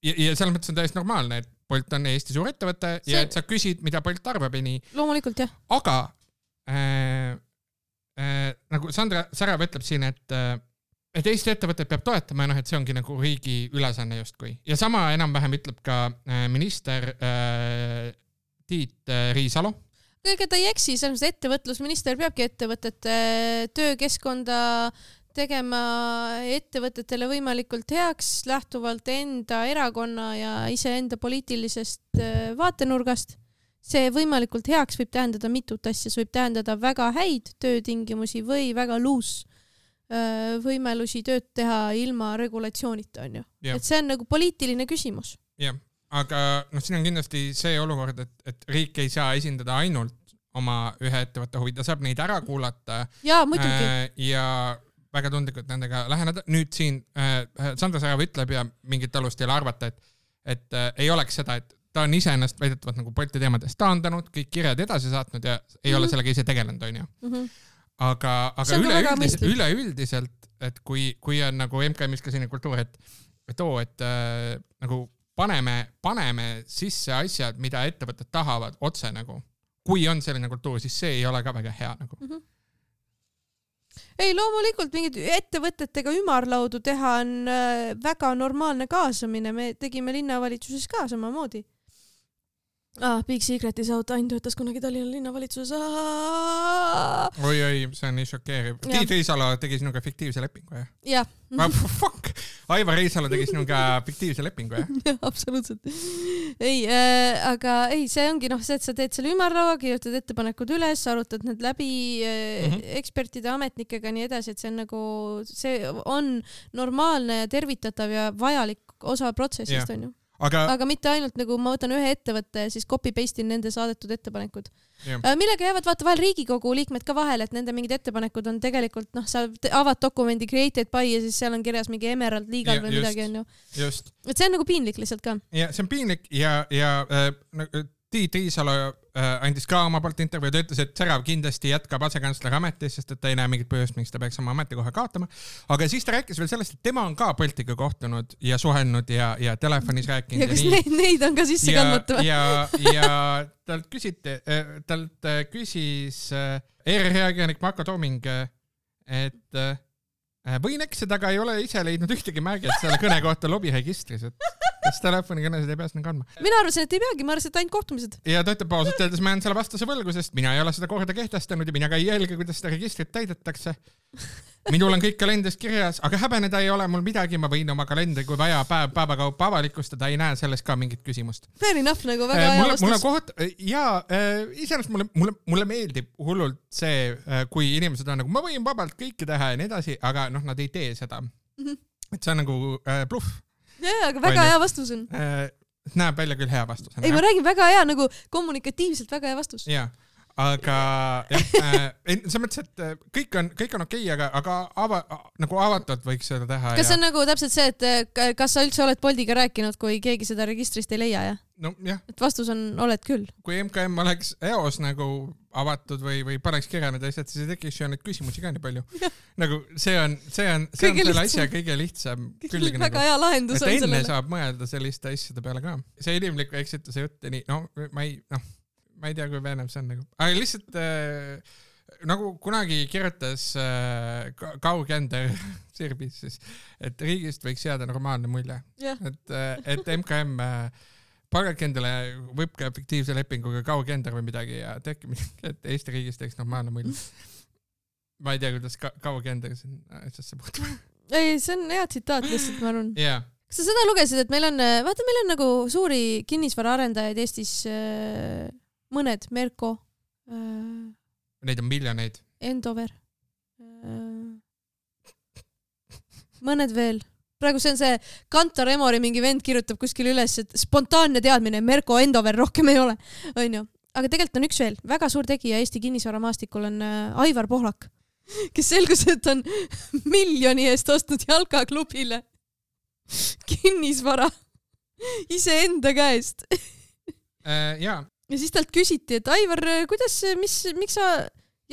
ja, ja selles mõttes on täiesti normaalne, et Bolt on Eesti suur ettevõte see... ja et sa küsid, mida Bolt arvab ja nii. Loomulikult, jah. Aga äh, äh, nagu Sandra Särav ütleb siin, et äh, et Eesti ettevõtted peab toetama ja noh, et see ongi nagu riigi ülesanne justkui. Ja sama enam-vähem ütleb ka minister äh, Tiit Riisalo. Ega ta ei eksi, selles ettevõtlusminister peabki ettevõtete töökeskkonda tegema ettevõtetele võimalikult heaks lähtuvalt enda erakonna ja iseenda poliitilisest vaatenurgast. See võimalikult heaks võib tähendada mitut asja, see võib tähendada väga häid töötingimusi või väga luus võimalusi tööd teha ilma regulatsioonita, on ju. Yeah. Et see on nagu poliitiline küsimus. Jah, yeah. Aga noh, siin on kindlasti see olukord, et, et riik ei saa esindada ainult oma ühe ettevõtte huvid, ta saab neid ära kuulata. Jaa, muidugi. Äh, ja väga tundlikult nendega läheneda. Nüüd siin äh, Sandra Särav ütleb ja mingit alust ei ole arvata, et, et äh, ei oleks seda, et ta on ise ennast väidetavalt nagu Bolti teemadest taandanud, kõik kirjad edasi saatnud ja ei mm-hmm. ole sellega ise tegelenud, on ju. Mm-hmm. Aga, aga üleüldiselt, üleüldiselt, et kui, kui on nagu M K M-is ka selline kultuur, et, et oo, et äh, nagu paneme, paneme sisse asjad, mida ettevõtted tahavad otse nagu. Kui on selline kultuur, siis see ei ole ka väga hea nagu. Mm-hmm. Ei, loomulikult mingid ettevõtetega ümarlaudu teha on äh, väga normaalne kaasamine. Me tegime linnavalitsuses ka samamoodi. Ah, Big Secret is out, Ain töötas kunagi Tallinna linnavalitsuses. Oi, oi, see on nii šokeeriv. Tiit Riisalo tegi sinuga fiktiivse lepingu, jah? Jah. Fuck! Aivar Riisalo tegi sinuga fiktiivse lepingu, jah? Jah, absoluutselt. Ei, äh, aga ei, see ongi noh, see, et sa teed selle ümarlaua, kirjutad ettepanekud üles, arutad need läbi äh, mm-hmm. ekspertide, ametnikega nii edasi, et see on nagu, see on normaalne ja tervitatav ja vajalik osa protsessist, yeah. on ju. Aga... aga mitte ainult nagu ma võtan ühe ettevõtte ja siis copy-paste'in nende saadetud ettepanekud. Yeah. Millega jäävad vaata vahel Riigikogu liikmed ka vahel, et nende mingid ettepanekud on tegelikult, noh, sa avad dokumendi created by ja siis seal on kirjas mingi Emerald Legal yeah, või just, midagi on ju. Just. Et see on nagu piinlik lihtsalt ka. Ja see on piinlik ja, ja äh, Tiit Riisalo äh, andis ka oma poolt intervjuu ja ütles, et Särav kindlasti jätkab asekantsleri ametis, sest et ta ei näe mingit põhjust, miks ta peaks oma ametikoha kaotama. Aga siis ta rääkis veel sellest, et tema on ka Boltiga kohtunud ja suhelnud ja, ja telefonis rääkinud. Ja kas ja neid, neid on ka sisse kandmata või? Ja, ja talt, küsiti, talt küsis E R R-ajakirjanik Marko Tooming, et võin eksida, aga ei ole ise leidnud ühtegi märget selle kõne kohta lobiregistris, et kas telefonikõnesid ei pea sinna kandma. Mina arvasin, et ei peagi, ma arvasin, et ainult kohtumised. Ja ta ütleb pausalt öeldes, ma jään selle vastuse võlgu, sest mina ei ole seda korda kehtestanud ja mina ka ei jälge, kuidas seda registrit täidetakse. Minul on kõik kalendris kirjas, aga häbeneda ei ole mul midagi, ma võin oma kalendri, kui vaja päev päevakaupa avalikustada, ei näe selles ka mingit küsimust. Fair enough, nagu väga hea vastus. Mulle koht, ja äh, iseenesest mulle, mulle, mulle meeldib hullult see, äh, kui inimesed on nagu, ma võin vabalt kõike teha ja nii edasi, aga noh, nad ei tee seda. Mm-hmm. Et see on nagu äh, bluff. Jaa, aga väga hea vastus on. Äh, näeb välja küll hea vastus. Ei, ma räägin väga hea, nagu kommunikatiivselt väga hea vastus. Jaa. Aga jah, äh, see mõttes, et kõik on, kõik on okei, aga, aga ava, nagu avatult võiks seda teha. Kas see ja... on nagu täpselt see, et kas sa üldse oled Boltiga rääkinud, kui keegi seda registrist ei leia, jah? No jah. Et vastus on, oled küll. Kui M K M oleks eos nagu avatud või, või paneks kirja need asjad, siis ei tekiks ju neid küsimusi ka nii palju. Nagu see on, see on, see on selle asja kõige lihtsam. Väga nagu, hea lahendus on sellele. Enne saab mõelda selliste asjade peale ka. See inimliku eksituse jutt, nii, no ma ei, noh, ma ei tea, kui veenev see on nagu. Aga lihtsalt äh, nagu kunagi kirjutas äh, Kaugender Sirbis, siis, et riigist võiks jääda normaalne mulje. Et, et M K M äh, palgake endale võbka fiktiivse lepinguga Kaugender või midagi ja tehke midagi, et Eesti riigis teeks normaalne mulje. Ma ei tea, kuidas ka Kaugender siin asjasse puhtub. Ei, see on hea tsitaat lihtsalt, ma arvan. Yeah. Kas sa seda lugesid, et meil on, vaata, meil on nagu suuri kinnisvaraarendajaid Eestis äh, mõned, Merko. Äh, Neid on miljoneid. Endover. Äh, mõned veel. Praegu see on see Kantar Emori mingi vend kirjutab kuskil üles, et spontaanne teadmine, Merko Endover rohkem ei ole. On ju. Aga tegelikult on üks veel. Väga suur tegija Eesti kinnisvaramaastikul on Aivar Pohlak, kes selgus, et on miljoni eest ostnud jalkaklubile kinnisvara iseenda käest. Uh, jaa. Ja siis talt küsiti, et Aivar, kuidas, mis, miks sa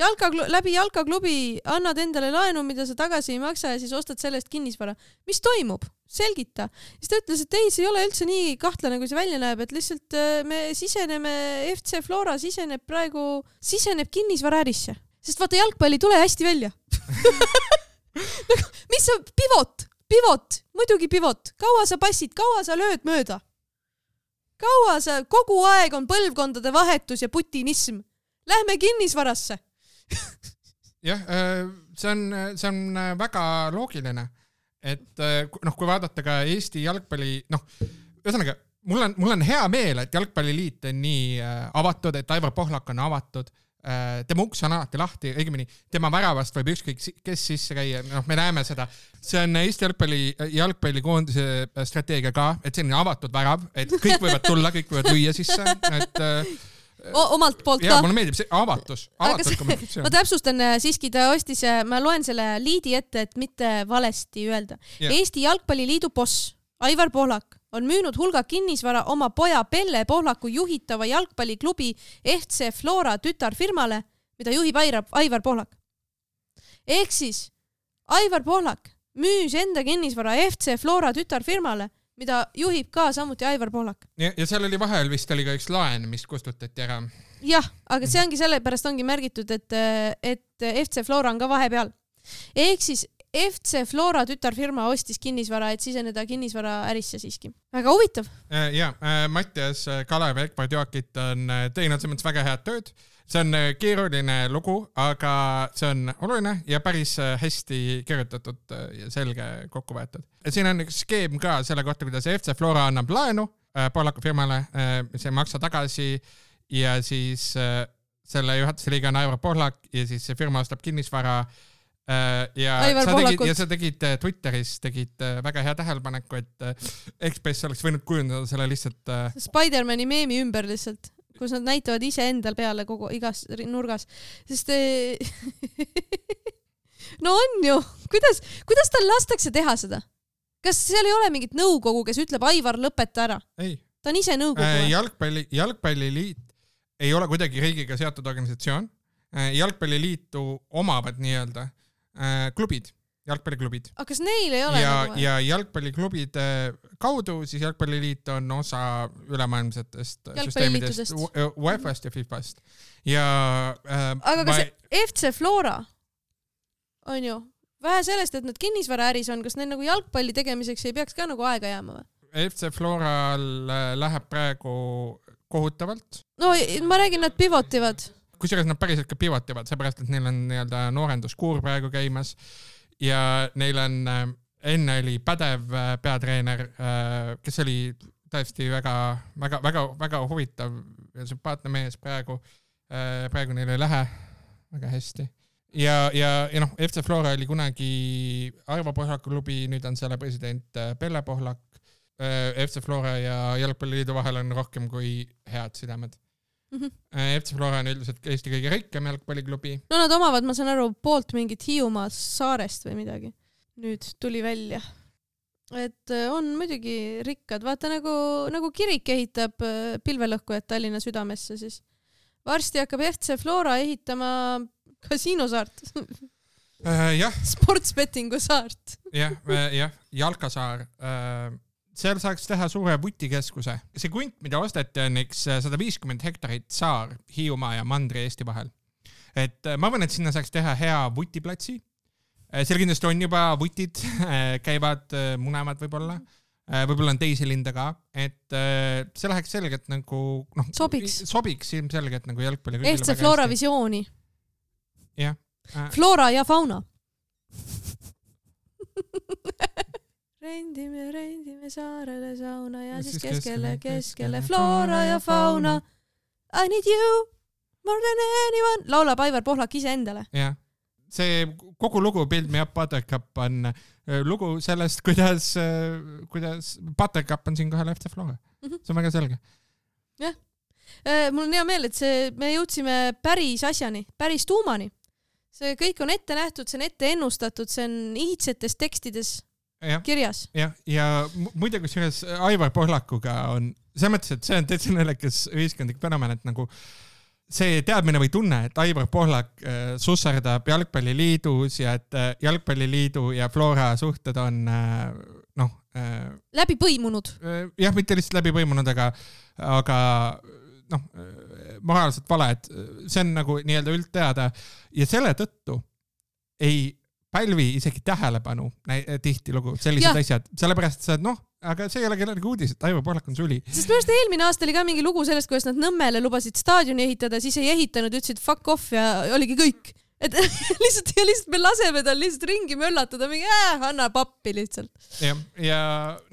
Jalkaklu- läbi jalkaklubi annad endale laenu, mida sa tagasi ei maksa ja siis ostad sellest kinnisvara. Mis toimub? Selgita. Siis ta ütles, et ei, see ei ole üldse nii kahtlane, kui see välja näeb, et lihtsalt me siseneme, F C Flora siseneb praegu, siseneb kinnisvara ärisse. Sest vaata, jalgpalli tule hästi välja. Mis sa, pivot, pivot, muidugi pivot. Kaua sa passid, kaua sa lööd mööda? Kaua sa, kogu aeg on põlvkondade vahetus ja putinism. Lähme kinnisvarasse. Jah, see on, see on väga loogiline, et noh, kui vaadata ka Eesti jalgpalli, noh, ühesõnaga, mul on, mul on hea meel, et jalgpalliliit on nii avatud, et Aivar Pohlak on avatud, tema uks on alati lahti, õigemini tema väravast võib ükskõik kes sisse käia, noh, me näeme seda. See on Eesti jalgpalli, jalgpallikoondise strateegia ka, et selline avatud värav, et kõik võivad tulla, kõik võivad lüüa sisse, et O, omalt poolt ja, ka. Mulle meeldib see avatus, avatus kommunikatsioon. Ma täpsustan siiski, ta ostis, ma loen selle liidi ette, et mitte valesti öelda. Yeah. Eesti Jalgpalliliidu boss Aivar Pohlak on müünud hulga kinnisvara oma poja Pelle Pohlaku juhitava jalgpalliklubi F C Flora tütarfirmale, mida juhib Aivar Pohlak. Ehk siis Aivar Pohlak müüs enda kinnisvara F C Flora tütarfirmale, mida juhib ka samuti Aivar Pohlak. Ja, ja seal oli vahel vist oli ka üks laen, mis kustutati ära. Jah, aga see ongi selle pärast ongi märgitud, et, et F C Flora on ka vahepeal. Ehk siis F C Flora tütarfirma ostis kinnisvara, et siseneda kinnisvara ärisse siiski. Väga huvitav. Ja, Mattias Kalev ja Ekvard Joakit on teinud selles mõttes väga head tööd. See on keeruline lugu, aga see on oluline ja päris hästi kirjutatud ja selge kokku võetud. Siin on üks skeem ka selle kohta, kuidas F C Flora annab laenu Pohlaku firmale, see maksa tagasi ja siis selle juhatuse liige on Aivar Pohlak ja siis see firma ostab kinnisvara ja sa, tegid, ja sa tegid Twitteris tegid väga hea tähelepaneku, et Ekspress oleks võinud kujundada selle lihtsalt Spider-Mani meemi ümber lihtsalt, kus nad näitavad ise endal peale kogu igas nurgas. Sest no on ju, kuidas, kuidas tal lastakse teha seda? Kas seal ei ole mingit nõukogu, kes ütleb Aivar lõpeta ära? Ei. Ta on ise nõukogu. Jalgpalli, jalgpalliliit ei ole kuidagi riigiga seotud organisatsioon. Jalgpalliliitu omavad nii-öelda klubid, jalgpalliklubid. Aga kas neil ei ole? Ja, ja jalgpalliklubide kaudu siis jalgpalliliit on osa ülemaailmsetest süsteemidest, UEFA-st ja FIFA-st. Ja, äh, aga kas ma... F C Flora on ju vähe sellest, et nad kinnisvara äris on, kas neil nagu jalgpalli tegemiseks ei peaks ka nagu aega jääma või? F C Floral läheb praegu kohutavalt. No ma räägin, nad pivotivad. Kusjuures nad päriselt ka pivotivad, seepärast, et neil on nii-öelda noorenduskuur praegu käimas ja neil on, enne oli pädev peatreener, kes oli tõesti väga, väga, väga, väga huvitav ja sümpaatne mees praegu. Praegu neil ei lähe väga hästi. Ja, ja, ja noh, F C Flora oli kunagi Aivar Pohlaku klubi, nüüd on selle president Pelle Pohlak. F C Flora ja Jalgpalliliidu vahel on rohkem kui head sidemed. Mm-hmm. F C Flora on üldiselt Eesti kõige rikkam jalgpalliklubi. No nad omavad, ma saan aru, poolt mingit Hiiumaa saarest või midagi. Nüüd tuli välja. Et on muidugi rikkad. Vaata nagu, nagu kirik ehitab pilvelõhkujat Tallinna südamesse, siis varsti hakkab F C Flora ehitama kasiinosaart. Uh, jah. Sportsbettingu saart. jah, jah, Jalkasaar. Uh, seal saaks teha suure vutikeskuse. See kunt, mida osteti, on üks sada viiskümmend hektarit saar Hiiumaa ja Mandri Eesti vahel. Et ma arvan, et sinna saaks teha hea vutiplatsi. Seal kindlasti on juba vutid, käivad munemad võib-olla. Võib-olla on teisi linde ka. Et see läheks selgelt nagu... No, sobiks. Sobiks ilmselgelt nagu jalgpalli. F C Flora visiooni. Jah. Flora ja fauna. rendime, rendime saarele sauna ja siis keskele, keskele Flora ja fauna. I need you more than anyone. Laulab Aivar Pohlak ise endale. Jah. See kogu lugu Build Me Up Buttercup on lugu sellest, kuidas, kuidas Buttercup on siin kohal F C Flora. See on väga selge. Jah. Mul on hea meel, et see, me jõudsime päris asjani, päris tuumani. See kõik on ette nähtud, see on ette ennustatud, see on iidsetes tekstides ja, kirjas. Ja, ja muide, kus ühes Aivar Pohlakuga on, see mõttes, et see on täitsa nelekas ühiskondlik fenomen, et nagu see teadmine või tunne, et Aivar Pohlak äh, susserdab Jalgpalliliidus ja et äh, Jalgpalliliidu ja Flora suhted on äh, noh... Äh, läbi põimunud. Äh, jah, mitte lihtsalt läbi põimunud, aga, aga noh, moraalselt vale, et see on nagu nii-öelda üldteada ja selle tõttu ei pälvi isegi tähelepanu tihti lugu sellised ja. Asjad, sellepärast sa, noh, aga see ei ole kellelegi uudis, et Aivar Pohlak on suli. Sest minu arust eelmine aasta oli ka mingi lugu sellest, kuidas nad Nõmmele lubasid staadioni ehitada, siis ei ehitanud, ütlesid fuck off ja oligi kõik. Et lihtsalt, ja lihtsalt me laseme tal lihtsalt ringi möllatada, mingi äh, anna pappi lihtsalt. Ja, ja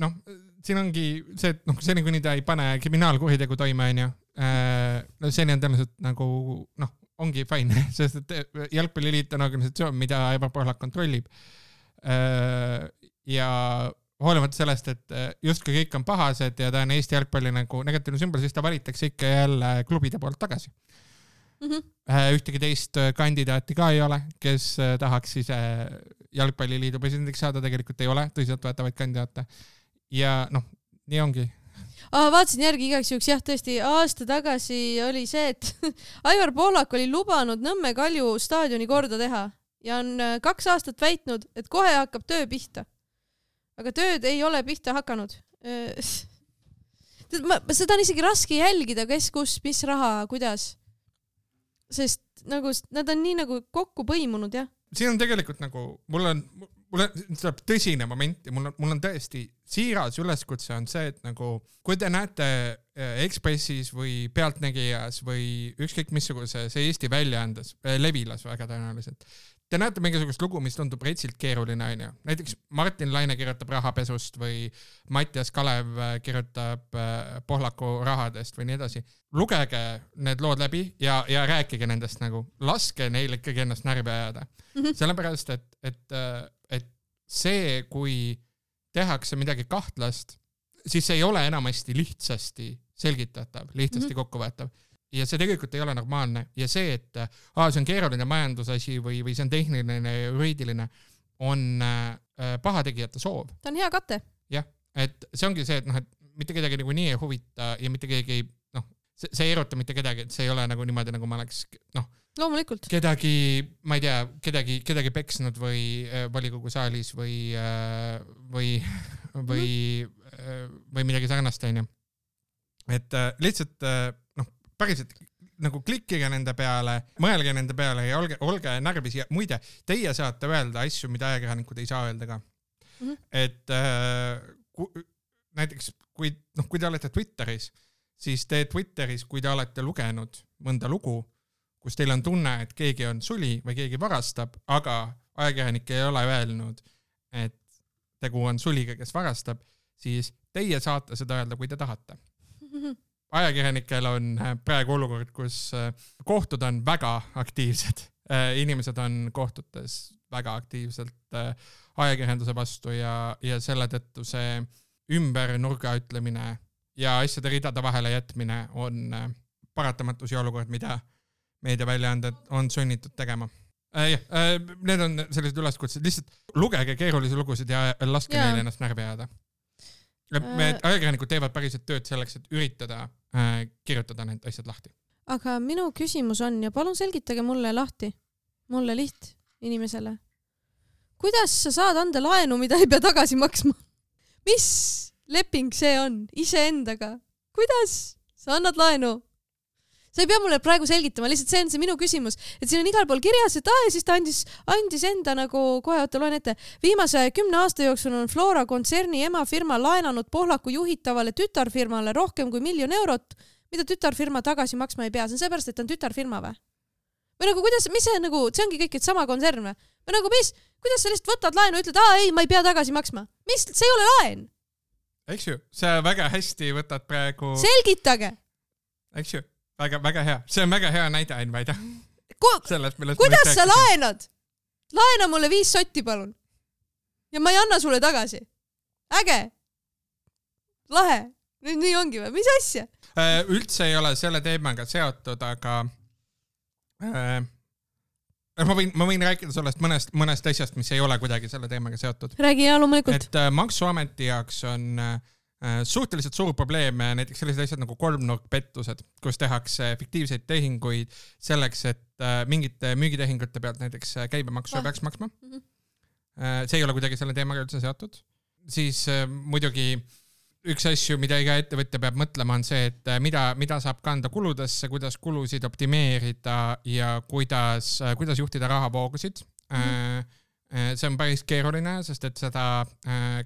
noh, siin ongi see, et noh, seni kuni ta ei pane kriminaalkuritegu toime, on ju, no seni on tõenäoliselt nagu, noh, ongi fine, sest et Jalgpalliliit on organisatsioon, mida Aivar Pohlak kontrollib. Ja hoolimata sellest, et justkui kõik on pahased ja ta on Eesti jalgpalli nagu negatiivne sümbol, siis ta valitakse ikka jälle klubide poolt tagasi. Mm-hmm. Ühtegi teist kandidaati ka ei ole, kes tahaks ise Jalgpalliliidu presidendiks saada, tegelikult ei ole tõsiselt võetavaid kandidaate. Ja noh, nii ongi. Ah, vaatasin järgi igaks juhuks, jah, tõesti, aasta tagasi oli see, et Aivar Pohlak oli lubanud Nõmme Kalju staadioni korda teha ja on kaks aastat väitnud, et kohe hakkab töö pihta. Aga tööd ei ole pihta hakanud. Seda on isegi raske jälgida, kes, kus, mis raha, kuidas. Sest nagu, nad on nii nagu kokku põimunud, jah. Siin on tegelikult nagu, mul on, mul on tõsine moment ja mul on, mul on tõesti siiras üleskutse on see, et nagu, kui te näete Ekspressis või Pealtnägijas või ükskõik missuguse see Eesti väljaandes, Levilas väga tõenäoliselt, te näete mingisugust lugu, mis tundub reitsilt keeruline, on ju. Näiteks Martin Laine kirjutab rahapesust või Mattias Kalev kirjutab Pohlaku rahadest või nii edasi. Lugege need lood läbi ja, ja rääkige nendest nagu. Laske neil ikkagi ennast närvi ajada. Mm-hmm. Sellepärast, et, et, et see, kui tehakse midagi kahtlast, siis see ei ole enamasti lihtsasti selgitatav, lihtsasti mm-hmm. kokkuvõetav. Ja see tegelikult ei ole normaalne. Ja see, et aa, see on keeruline majandusasi või, või see on tehniline ja juriidiline, on äh, pahategijate soov. Ta on hea kate. Jah, et see ongi see, et, noh, et mitte kedagi nagu nii ei huvita ja mitte kedagi, noh, see, see ei eruta mitte kedagi, et see ei ole nagu niimoodi, nagu ma oleks, noh, loomulikult. Kedagi, ma ei tea, kedagi, kedagi peksnud või äh, volikogu saalis või, äh, või, või, äh, või midagi sarnast, on ju. Et äh, lihtsalt, äh, noh, päriselt nagu klikkige nende peale, mõelge nende peale ja olge, olge närvis ja muide, teie saate öelda asju, mida ajakirjanikud ei saa öelda ka. Mm-hmm. Et äh, ku, näiteks, kui, noh, kui te olete Twitteris, siis te Twitteris, kui te olete lugenud mõnda lugu, kus teil on tunne, et keegi on suli või keegi varastab, aga ajakirjanik ei ole öelnud, et tegu on suliga, kes varastab, siis teie saate seda öelda, kui te tahate. Mm-hmm. Ajakirjanikel on praegu olukord, kus kohtud on väga aktiivsed. Inimesed on kohtutes väga aktiivselt ajakirjanduse vastu ja, ja selle tõttu see ümber nurga ütlemine ja asjade ridade vahele jätmine on paratamatus ja olukord, mida meediaväljaanded on sunnitud tegema. Äh, äh, need on sellised üleskutsed. Lihtsalt lugege keerulisi lugusid ja laske neile ennast närvi ajada. Me ajakirjanikud teevad päriselt tööd selleks, et üritada äh, kirjutada need asjad lahti. aga minu küsimus on ja palun selgitage mulle lahti, mulle liht inimesele. Kuidas sa saad anda laenu, mida ei pea tagasi maksma? Mis leping see on iseendaga? Kuidas sa annad laenu? Sa ei pea mulle praegu selgitama, lihtsalt see on see minu küsimus, et siin on igal pool kirjas, et ah, ja siis ta andis, andis enda nagu kohe oota loen ette. Viimase kümne aasta jooksul on Flora kontserni emafirma laenanud Pohlaku juhitavale tütarfirmale rohkem kui miljon eurot, mida tütarfirma tagasi maksma ei pea. See on seepärast, et on tütarfirma või? Või nagu kuidas, mis see nagu, see ongi kõik, et sama kontsern või? Või nagu mis, kuidas sa lihtsalt võtad laenu, ütled, aa ei, ma ei pea tagasi maksma. Mis, see ei ole laen. Eks ju, sa väga hästi võtad praegu... Selgitage. Eks ju. Väga, väga hea. See on väga hea näide, Ain Vaida. Ku Sellest, kuidas sa laenad? Laena mulle viis sotti, palun. Ja ma ei anna sulle tagasi. Äge. Lahe. Nüüd nii ongi või? Mis asja? Üldse ei ole selle teemaga seotud, aga äh, ma, võin, ma võin rääkida sellest mõnest, mõnest asjast, mis ei ole kuidagi selle teemaga seotud. Räägi ja loomulikult. Et äh, Maksuameti jaoks on... Äh, suhteliselt suur probleem näiteks sellised asjad nagu kolmnurkpettused, kus tehakse fiktiivseid tehinguid selleks, et mingite müügitehingute pealt näiteks käibemaksu peaks maksma. See ei ole kuidagi selle teemaga üldse seotud. Siis muidugi üks asju, mida iga ettevõtja peab mõtlema, on see, et mida, mida saab kanda kuludesse, kuidas kulusid optimeerida ja kuidas, kuidas juhtida rahavoogusid. Mm-hmm. See on päris keeruline, sest et seda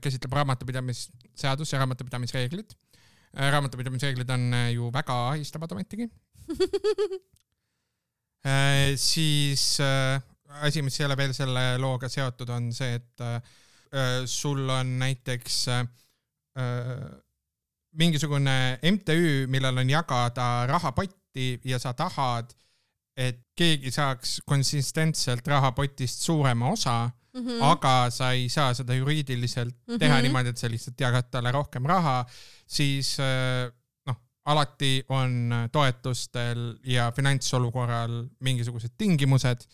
käsitleb raamatupidamisseadus ja raamatupidamisreeglid. Raamatupidamisreeglid on ju väga ahistavad ometigi. Siis asi, mis ei ole veel selle looga seotud, on see, et sul on näiteks mingisugune M T Ü, millel on jagada rahapotti ja sa tahad, et keegi saaks konsistentselt rahapotist suurema osa, mm-hmm. aga sa ei saa seda juriidiliselt mm-hmm. teha niimoodi, et sa lihtsalt jagad talle rohkem raha, siis noh, alati on toetustel ja finantsolukorral mingisugused tingimused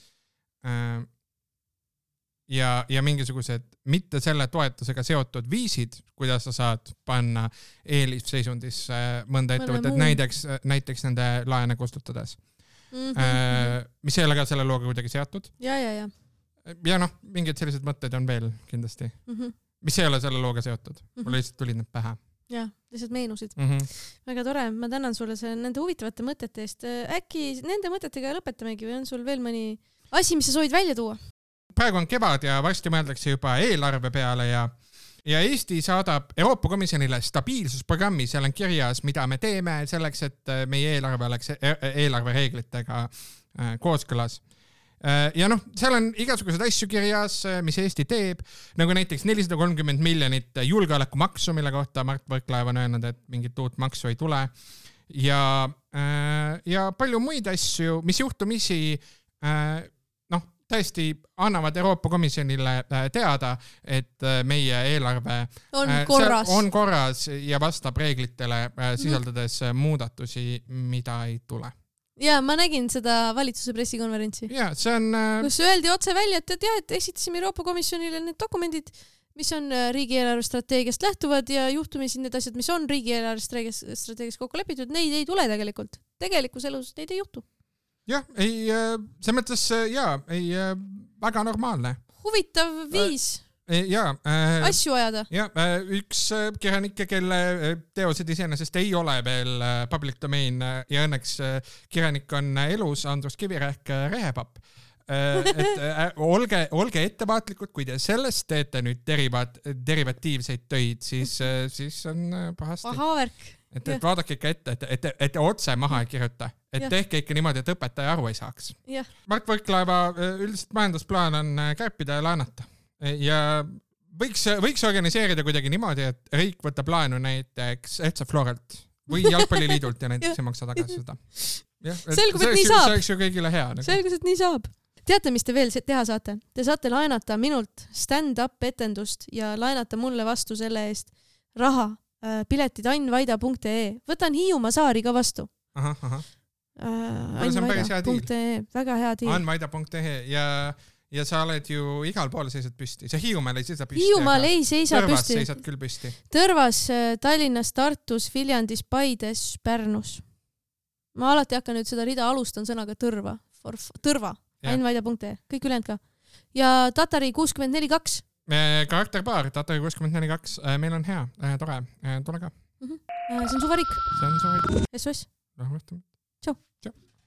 ja, ja mingisugused mitte selle toetusega seotud viisid, kuidas sa saad panna eelisseisundisse mõnda ettevõtet, näiteks, näiteks nende laene kustutades. Mm-hmm. Mis ei ole ka selle looga kuidagi seatud. Ja, ja, ja. Ja noh, mingid sellised mõtted on veel kindlasti. Mm-hmm. Mis ei ole selle looga seotud. Mm-hmm. Mulle lihtsalt tulid need pähe. Ja, lihtsalt meenusid. Mm-hmm. Väga tore, ma tänan sulle selle, nende huvitavate mõtete eest. Äkki nende mõtetega lõpetamegi või on sul veel mõni asi, mis sa soovid välja tuua? Praegu on kevad ja varsti mõeldakse juba eelarve peale ja Ja Eesti saadab Euroopa Komisjonile stabiilsusprogrammi, seal on kirjas, mida me teeme selleks, et meie eelarve oleks eelarvereeglitega kooskõlas. Ja noh, seal on igasugused asju kirjas, mis Eesti teeb, nagu näiteks nelisada kolmkümmend miljonit julgeolekumaksu, mille kohta Mart Võrklaev on öelnud, et mingit uut maksu ei tule. Ja, ja palju muid asju, mis juhtumisi tõesti annavad Euroopa Komisjonile teada, et meie eelarve on korras, on korras ja vastab reeglitele, sisaldades mm. muudatusi, mida ei tule. Ja ma nägin seda valitsuse pressikonverentsi. Ja, see on... Kus öeldi otse välja, et, et, jah, et esitasime Euroopa Komisjonile need dokumendid, mis on riigieelarve strateegiast lähtuvad ja juhtumisi need asjad, mis on riigieelarve strateegiast kokku lepitud, neid ei tule tegelikult. Tegelikus elus neid ei juhtu. Jah, ei, see mõttes, jaa, ei, väga normaalne. Huvitav viis ja, äh, asju ajada. Ja, üks kirjanikke, kelle teosed iseenesest ei ole veel public domain ja õnneks kirjanik on elus, Andrus Kivirähk Rehepapp. Et olge, olge ettevaatlikud, kui te sellest teete nüüd derivaat, derivatiivseid töid, siis, siis on pahasti. Pahavärk. Et, et vaadake ikka ette, et, et, et te otse maha ei kirjuta. Et ja. Tehke ikka niimoodi, et õpetaja aru ei saaks. Ja. Mart Võrklaeva üldiselt majandusplaan on kärpida ja laenata. Ja võiks, võiks organiseerida kuidagi niimoodi, et riik võtab laenu näiteks F C Floralt või Jalgpalliliidult ja näiteks ei maksa tagasi seda. Ja, selgub, et nii saab. See oleks ju kõigile hea. Nagu. Selgus, et nii saab. Teate, mis te veel teha saate? Te saate laenata minult stand-up etendust ja laenata mulle vastu selle eest raha. Piletid annvaida punkt ee. Võtan Hiiumaa saari ka vastu. Aha, aha. Uh, annvaida punkt ee. Väga hea diil. annvaida punkt ee ja, ja sa oled ju igal pool seisad püsti. Sa Hiiumaal ei seisa püsti. Hiiumaal ei seisa Tõrvas püsti. seisad küll püsti. Tõrvas, Tallinnas, Tartus, Viljandis, Paides, Pärnus. ma alati hakkan nüüd seda rida alustan sõnaga tõrva. For, tõrva. Ainvaida punkt ee. Kõik ülejäänud ka. Ja Tatari kuuskümmend neli kaks. Karakterpaar, Tatari kuuskümmend neli kaks. Meil on hea, tore. Tule ka. Mm-hmm. See on su varik. See on su varik. S O S. Noh, mõtleme. Tšau. Tšau.